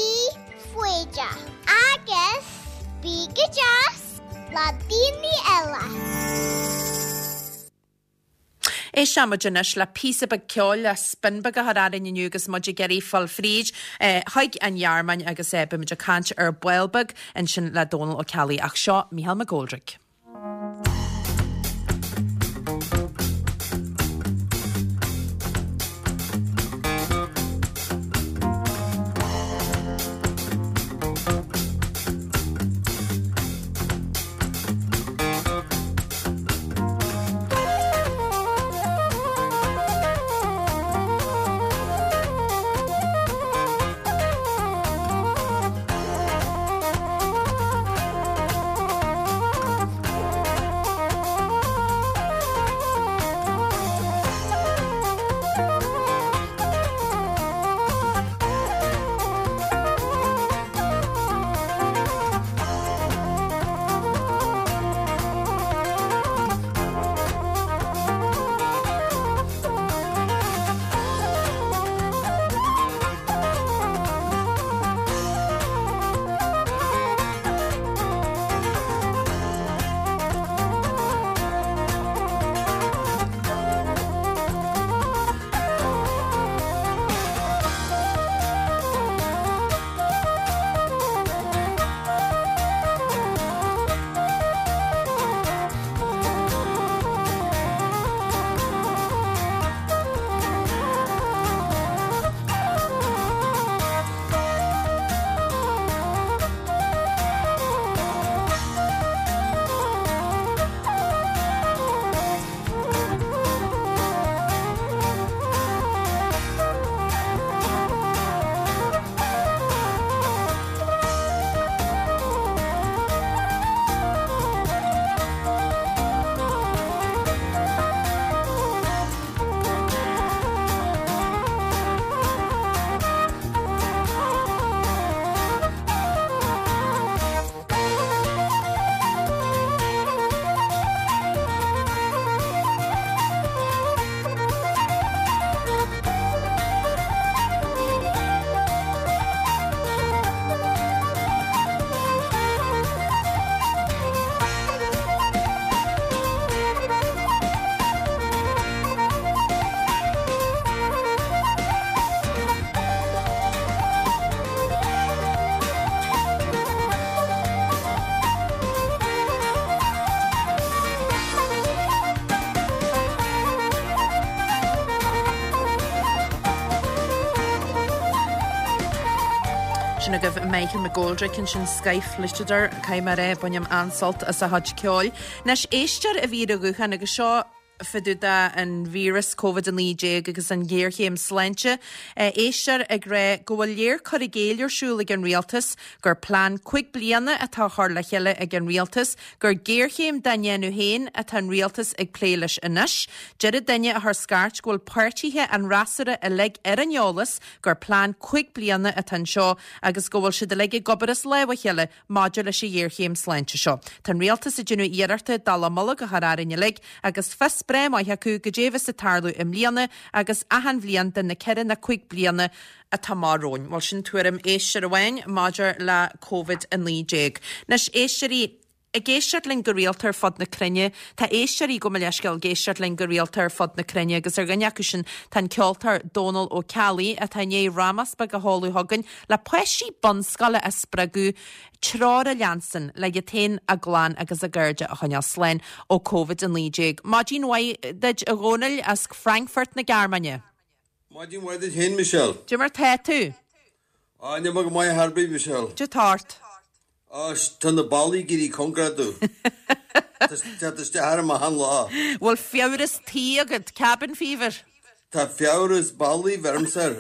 foighdeach agus bí go deas le daoine eile. Éisteann muid anois le píosa beag ceoil le spin beag a chur orainn inniu agus muid ag iarraidh fáil fríd chuig an Ghearmáin agus beimid ag caint ar ball beag ansin le Dónal Ó Ceallaigh ach seo Mícheál McGoldrick. Sin agaibh Michael McGoldrick ansin Skyflitadar caithfidh mé a rá bainim an-sult as a chuid ceoil. Anois éisteoir a bhí ar an ghuthán agus seo fá dtaobh den víreas Covid a naoi déag agus an ghéarchéim sláinte. Éisteoir ag rá go bhfuil léir cur i gcéill ar siúl ag an rialtas, gur plean cúig bliana atá á chur le chéile ag an rialtas, gur géarchéim dá ndéanamh féin atá an rialtas ag plé leis anois. Deir an duine a chuir scairt go bhfuil páirtithe an fhreasúra uilig ar an eolas gur plean cúig bliana atá anseo agus go bhfuil siad uilig ag obair as lámh a chéile maidir leis an ghéarchéim sláinte seo. Tá an rialtas ag déanamh iarrachta dallamullóg a chur orainn uilig agus fios breá maith acu goidé a bheas ag tarlú i mbliana agus achan bhliain de na ceithre nó cúig bliana atá amach romhainn. Bhuel sin tuairim éisteoir amháin maidir le Covid a naoi déag. Anois éisteoirí ag éisteacht linn go rialta ar fud na cruinne, tá éisteoirí gabh mo leithscéal ag éisteacht linn go rialta ar fud na cruinne agus ar dhuine acu sin tá an ceoltóir Dónal Ó Ceallaigh atá i ndiaidh rámas beag a sheoladh chugainn le páistí bunscoile a spreagadh treoir a leanstan le iad féin, a gclann agus a gcairde a choinneáil slán ó Covid a naoi déag. Maidin mhaith duit a Dhónaill as Frankfurt na Gearmáine. Maidin mhaith duit féin, Michelle. Cad é mar tá tú? Á, níl mé go maith ar bith, Michelle. Cad é atá ort? Á, tá na ballaí ag éirí cóngarach domh. Tá tá isteach orm achan lá. Bhfuil fiabhras tí agat, cabin fever? Tá fiabhras ballaí bheirimse air.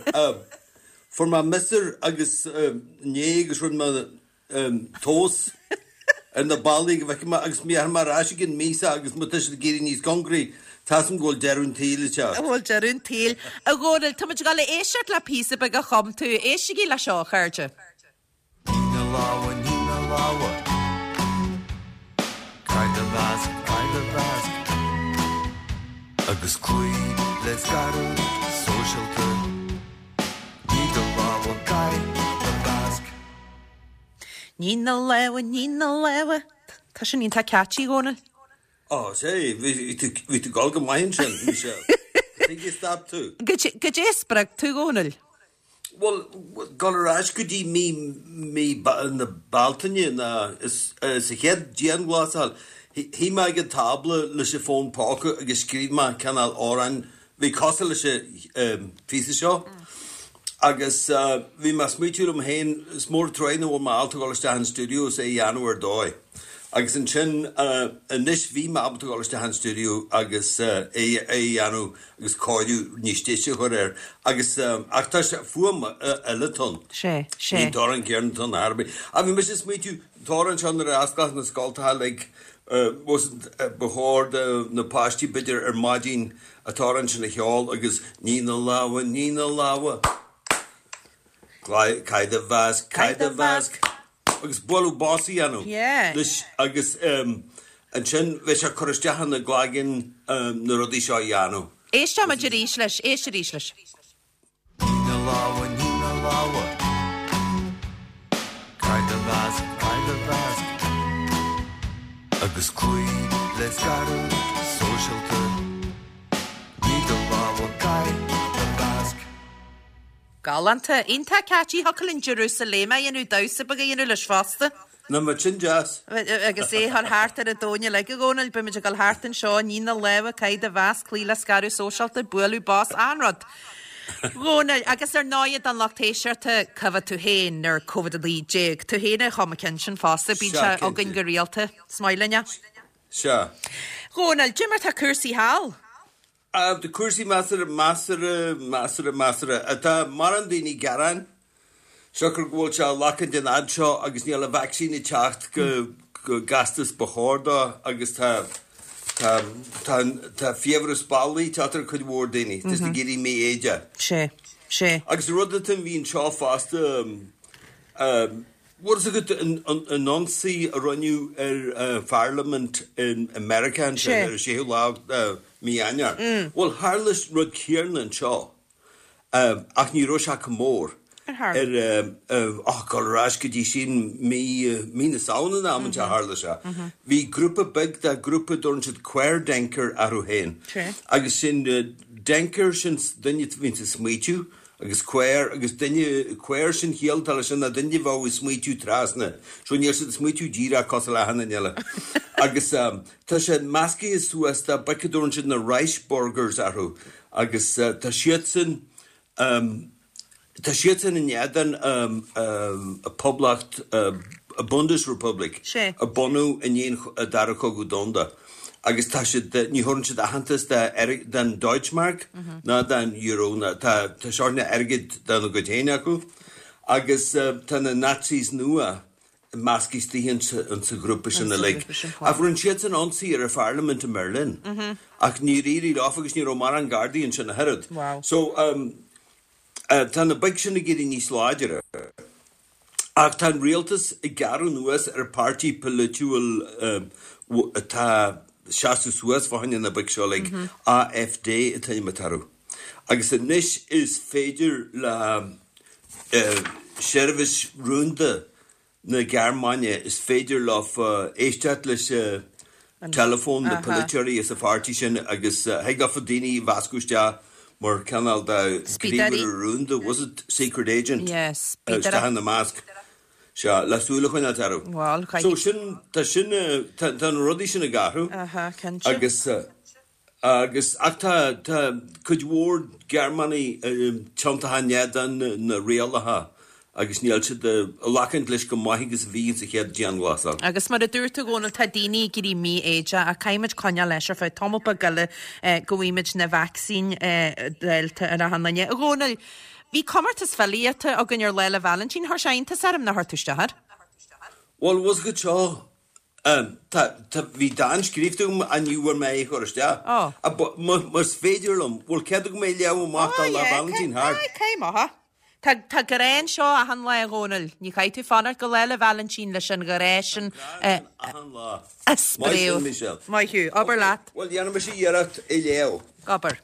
Fuair mé miosúr agus inné agus rinne mé tomhas ar na ballaí go bhfeicfidh mé agus mé ar mar ais ag an míosa agus má tá siad ag éirí níos cóngaraí, tá a fhios agam go bhfuil deireadh an tsaoil ag teacht. Bhfuil deireadh an tsaoil. A Dhónaill, tá muid ag dul a éisteacht le píosa beag a chum tú. Éistigí le seo, a chairde. Nigh na lámha, nigh na lámha. Caith do mhasc, caith do mhasc. Agus cloígh le scaradh sóisialta. Nigh do lámha, caith do mhasc. Nigh na lámha, nigh na lámha. Tá sin iontach catchy, a Dhónaill. Ó, sé, bhí tú bhí tú ag dul go maith ansin, Michelle. Tuige stop tú? Goidé a spreag tú, a Dhónaill? Bhuel, dul ar ais go dtí mí mí na Bealtaine ná sa chéad dianghlasáil, shuigh mé ag an tábla leis an fón póca agus scríobh mé cineál amhrán bhí cosúil leis an phíosa seo. Agus bhí mé ag smaoitiú liom féin, is mór an truaighe nach bhfuil mé ábalta dul isteach an stiúideo is é a dhéanamh ar dóigh. Agus ansin anois bhí mé ábalta dul isteach an stiúideo agus é a dhéanamh agus cóiriú níos deise a chur air. Agus ach tá sé fuaim eile atá ann. Sé, sé. Ní an t-amhrán céanna atá ann ar bith. Ach bhí mise ag smaoitiú, an t-amhrán seo nuair a osclódh na scoltacha like ba chóir do na páistí b'fhéidir ar maidin an t-amhrán sin a cheol agus nigh na lámha, nigh na lámha. Caith do mhasc, caith do mhasc. Agus bualadh bos a dhéanamh leis agus ansin bheadh sé ag cur isteach ina gcloigeann na rudaí seo a dhéanamh. Éisteoidh muid arís leis, éist arís leis. Nigh na lámha, nigh na lámha. Caith do mhasc, caith do mhasc. Agus cloígh le scaradh sóisialta. Nigh do lámha, caith do mhasc. Galánta. Iontach catchy. Thiocfadh linn Jerusalema a dhéanamh, damhsa beag a dhéanamh leis fosta. Nach mbeadh sin deas? Agus é a chur thart ar an domhan uilig, a Dhónaill, beimid ag dul thart anseo, nigh na lámha, caith do mhasc, cloígh le scaradh sóisialta, bualadh bos, achan rud. Dhónaill, agus ar ndóigh don lucht éisteachta, cá bhfad tú féin ar Covid a naoi déag? Tú féin a chum an ceann sin fosta, bíonn sé againn go rialta. Is maith linn é. Sea. Dhónaill, cad é mar tá cúrsaí thall? Tá cúrsaí measartha, measartha, measartha, measartha. Tá mórán daoine ag gearán, siocair go bhfuil sé ag glacadh den fhad seo agus níl an vacsaín ag teacht go go gasta is ba chóir dó agus tá tá tá tá fiabhras ballaí ag teacht ar cuid mhór daoine. Tá siad ag éirí mífhoighdeach. Sé, sé. Agus an rud atá a bhí anseo fosta, bhfuil fhios agat an an ionsaí a rinneadh ar Pharlaimint in America ansin ar an séú lá de mí Eanáir. Bhuel tharla rud céanna anseo ach ní raibh sé chomh mór. Ar ar ach dul ar ais go dtí sin mí mí na Samhna an am a tharla sé. Bhí grúpa beag de grúpa a dtabharann siad Querdenker orthu féin. Agus sin denker sin duine a bhíonns ag smaoitiú agus quer agus duine quer sin chiall atá leis sin ná duine a bheadh ag smaoitiú trasna. So níl siad ag smaoitiú díreach cosúil le achan duine eile. Agus tá sé meascaithe suas de boic a dtabharann siad na Reichsbürgers orthu agus tá siadsan Tá siadsan in éadan Poblacht Bundesrepublik a bunú i ndiaidh an Dara Cogadh Domhanda agus tá siad, ní thabharann siad aitheantas don Deutschmark ná don Euro, tá sórt airgead dá gcuid féin acu agus tá na Nazis nua measctha istigh insa ghrúpa sin uilig. Ach rinne siadsan ionsaí ar an pharlaimint i mBerlin ach níor éirigh leofa agus ní raibh mórán gardaí ansin ach oiread. So tá na boic sin ag éirí níos láidre. Ach tá an rialtas ag gearradh anuas ar an páirtí polaitiúil atá ag seasamh suas fá choinne na boic seo uilig, AfD an t-ainm atá orthu. Agus anois is féidir le seirbhís rúnda na Gearmáine, is féidir leofa éisteacht leis an teileafón, na polaiteoirí as an pháirtí sin agus thig leofa daoine a mheascadh isteach mar cineál de ghníomhaire rúnda, was it secret agent, isteach ina measc. Sea, le súil a choinneáilt orthu. So sin, tá sin, tá na rudaí sin ag athrú. Agus. Agus, ach tá, tá cuid mhór Gearmánaigh tiontaithe in éadan na rialacha agus níl siad ag glacaint leis chomh maith agus a bhí sa chéad dianghlasáil. Agus mar a dúirt tú, a Dhónaill, tá daoine ag éirí mífhoighdeach ach caithfimid coinneáil leis ar feadh tamall beag eile go bhfaighimid na vacsaín dáilte ar achan duine. A Dhónaill, bhí comórtas filíochta againn ar Lá 'le Vailintín, chuir sé iontas orm nár chuir tú isteach air. Bhuel, bhfuil 's agat seo, Tá, tá, bhí dán scríobhta agam ach ní bhfuair mé é a chur isteach. Ó. Más féidir liom, bhfuil cead agam é a léamh amach Ó, tá Lá yeah, Vailintín thart. Aye, caith amach é. Tá, tá grá anseo achan lá, a Dhónaill. Ní chaithfidh tú fanacht go Lá 'le Vailintín leis an ghrá sin Tá grá ann achan lá. a Maith sin, spréadh. Michelle. Maith thú. Abair leat. Bhuel, dhéanfaidh mise iarracht é a léamh. Abair.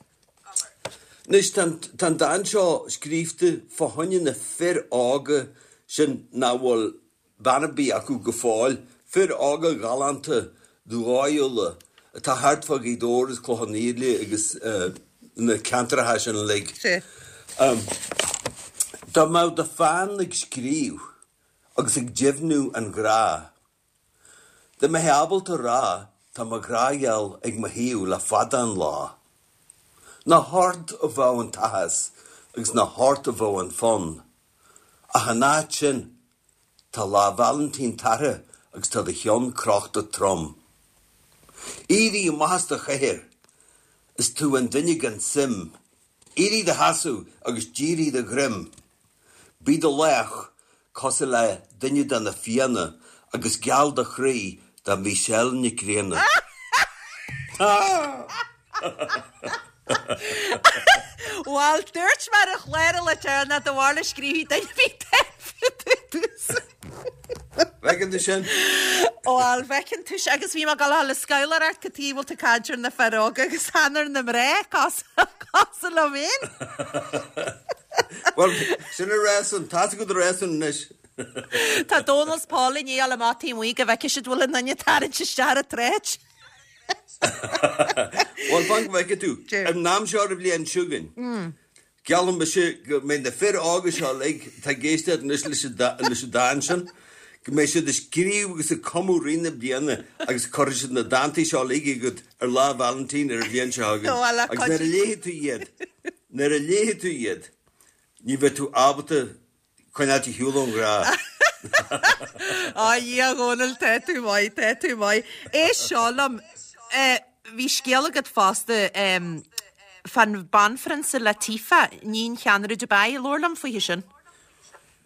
Anois, tá an, tá an dán seo scríobhta fá choinne na fir óga sin nach bhfuil bean ar bith acu go fóill, fir óga ghalánta dóighiúla atá thart fá Ghaoth Dobhair agus Clochán Liath agus na ceantracha sin uilig. Dá mbeadh do pheann ag scríobh agus ag deimhniú an ghrá, dá mbeifeá ábalta rá tá mo ghrá-gheal ag mo thaobh le fada an lá. Nach ort a bheadh an t-áthas agus nach ort a bheadh an fonn, ach in áit sin tá Lá Vailintín tagtha agus tá do cheann crochta trom. Éirigh amach as do chathaoir is tú an duine gan suim. Éirigh do sheasamh agus dírigh do dhroim. Bí do laoch cosúil le duine de na Fianna agus geall do chroí do Michelle Nic Grianna. Bhuel, dúirt mé ar an chlár le deireanas do bharr le scríobh duine bhí dtús. Bhfeiceann tú sin? Bhuel, bhfeiceann tú sin agus bhí mé ag dul a dhul ag scabhláil ort cad chuige bhfuil tú ag caint ar na fir óga agus chan ar na mná cosúil liom féin. Bhuel, sin a réasún, tá tú go réasún anois. Tá Dónal 's Paul i ndiaidh a dhul amach taobh amuigh go bhfeicfidh siad bhfuil aon duine ag tarraingt isteach ar an tsráid. Bhuel, fan go bhfeicfidh tú. An am seo ar an bhliain seo chugainn, geallaim mise go mbeidh na fir óga seo uilig atá ag éisteacht anois leis an dán sin, go mbeidh siad ag scríobh agus ag cumadh rith na bliana agus cuirfidh siad na dántaí seo uilig chugat ar Lá Vailintín ar an bhliain seo chugainn. Agus nuair a léifidh tú iad, nuair a léifidh tú iad, ní bheidh tú ábalta Coinneáilt ar shiúl ón ghrá. A Dhia, a Dhónaill, tá tú maith, tá tú maith. Éist seo liom, bhí scéal agat fosta fán banphrionsa Latifa, iníon cheannaire Dubai, labhair liom faoithe sin.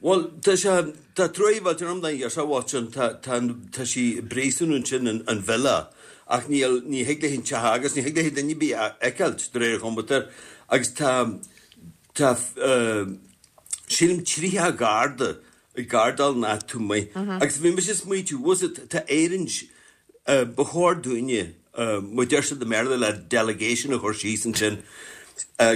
Bhuel, tá sé, tá truaí mhillteanach orm don ghirseach bhocht sin, tá, tá, tá sí i bpríosún ansin in, in villa ach níl, ní thig léi an teach a fhágáil, ní thig léi duine ar bith a fheiceáilt de réir an chomputer agus tá, tá, sílim tríocha garda ag gardáil an áit taobh amuigh. Agus bhí mise ag smaoitiú, bhfuil 's agat, tá Éirinn, ba chóir dúinne, mar deir siad i mBéarla le delegation a chur síos ansin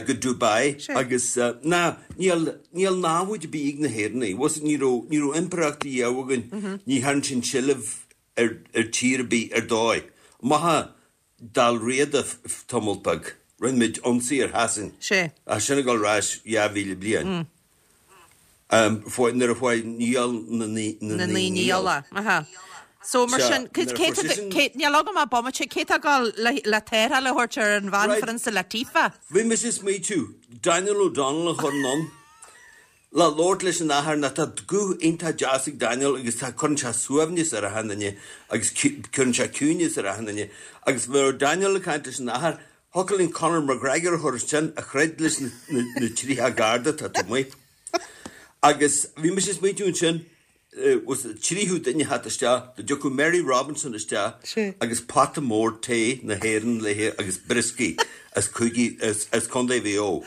go Dubai agus ná, níl, níl namhaid ar bith ag na hÉireannaigh, bhfuil 's agat, ní raibh, ní raibh impireacht riamh againn, ní thearn sinn seilbh ar, ar tír ar bith ar dóigh. Maith Dál Riada tamall beag. Rinne muid ionsaí ar Shasain. Sea. Ach sin ag dul ar ais dhá mhíle bliain. Nuair a chuaigh Niall na Na Naoi Naoi Néill. Néill. Aha. So mar Sea, sin, nuair a cé fuair seisean. cé, níl agam ach bomaite, cé tá ag dul le le tarrtháil a thabhairt ar an Right. bhanphrionsa Latifa? Bhí mise ag smaoitiú, Daniel O'Donnell a chur anonn. le labhairt leis an athair nó tá guth iontach deas ag Daniel agus tá cuireann sé suaimhneas ar achan duine agus cuireann sé ciúineas ar achan duine agus bheadh Daniel ag caint leis an athair, thiocfadh linn Conor McGregor a chur ansin a throid leis na tríocha garda atá taobh amuigh. Agus bhí mise ag smaointiú ansin, was tríú duine a theacht isteach, dá dtiocfadh Mary Robinson isteach agus pota mór tae na hÉireann léi agus brioscaí as cúige, as Contae Mhaigh Eo.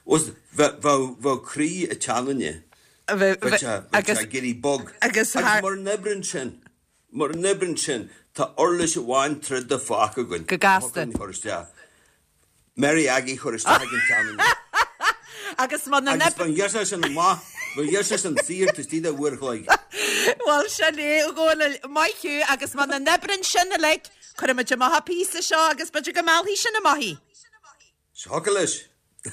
Was bheadh, bheadh croí ag teannadh. Bheadh sé, bheadh sé ag éirí bog. Agus mura n-oibreann sin, mura n-oibreann sin, tá uirlis amháin troda fágtha againn. Go gasta. A chur isteach. Mary Aggie a chur isteach ag an tSeanadóir. Agus má na Agus ba ghearr sé sin amach, ba ghearr sé sin saor taobh istigh de uair a chloig. Bhuel, sin é, a Dhónaill, maith thú, agus má na n-oibreann sin uilig, cuirfimid amach an píosa seo agus b'fhéidir go meallfaidh sin amach í. Thiocfadh leis. Nigh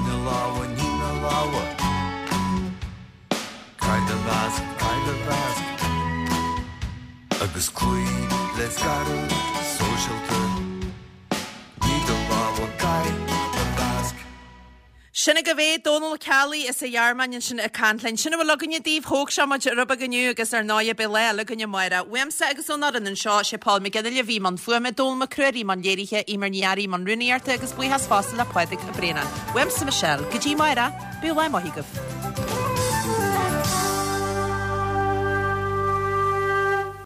do lámha, nigh do lámha. Caith do mhasc, caith do mhasc. Agus cloígh le scaradh sóisialta. Nigh do lámha, caith do mhasc. Sin agaibh é, Dónal Ó Ceallaigh as an Ghearmáin ansin ag caint linn. Sin a bhfuil againne daoibh, thóg sé muid rud beag inniu agus ar ndóigh beidh lá eile againn amárach. Uaimse agus ón fhoireann anseo, sé Paul McGinley a bhí i mbun fuaime, Dónal Mac Ruairí i mbun léirithe, Eimear Ní Fhearraigh i mbun rúnaíochta agus buíochas fosta le Pádraig Ó Braonáin. Uaimse Michelle, go dtí amárach, bíodh lá maith agaibh.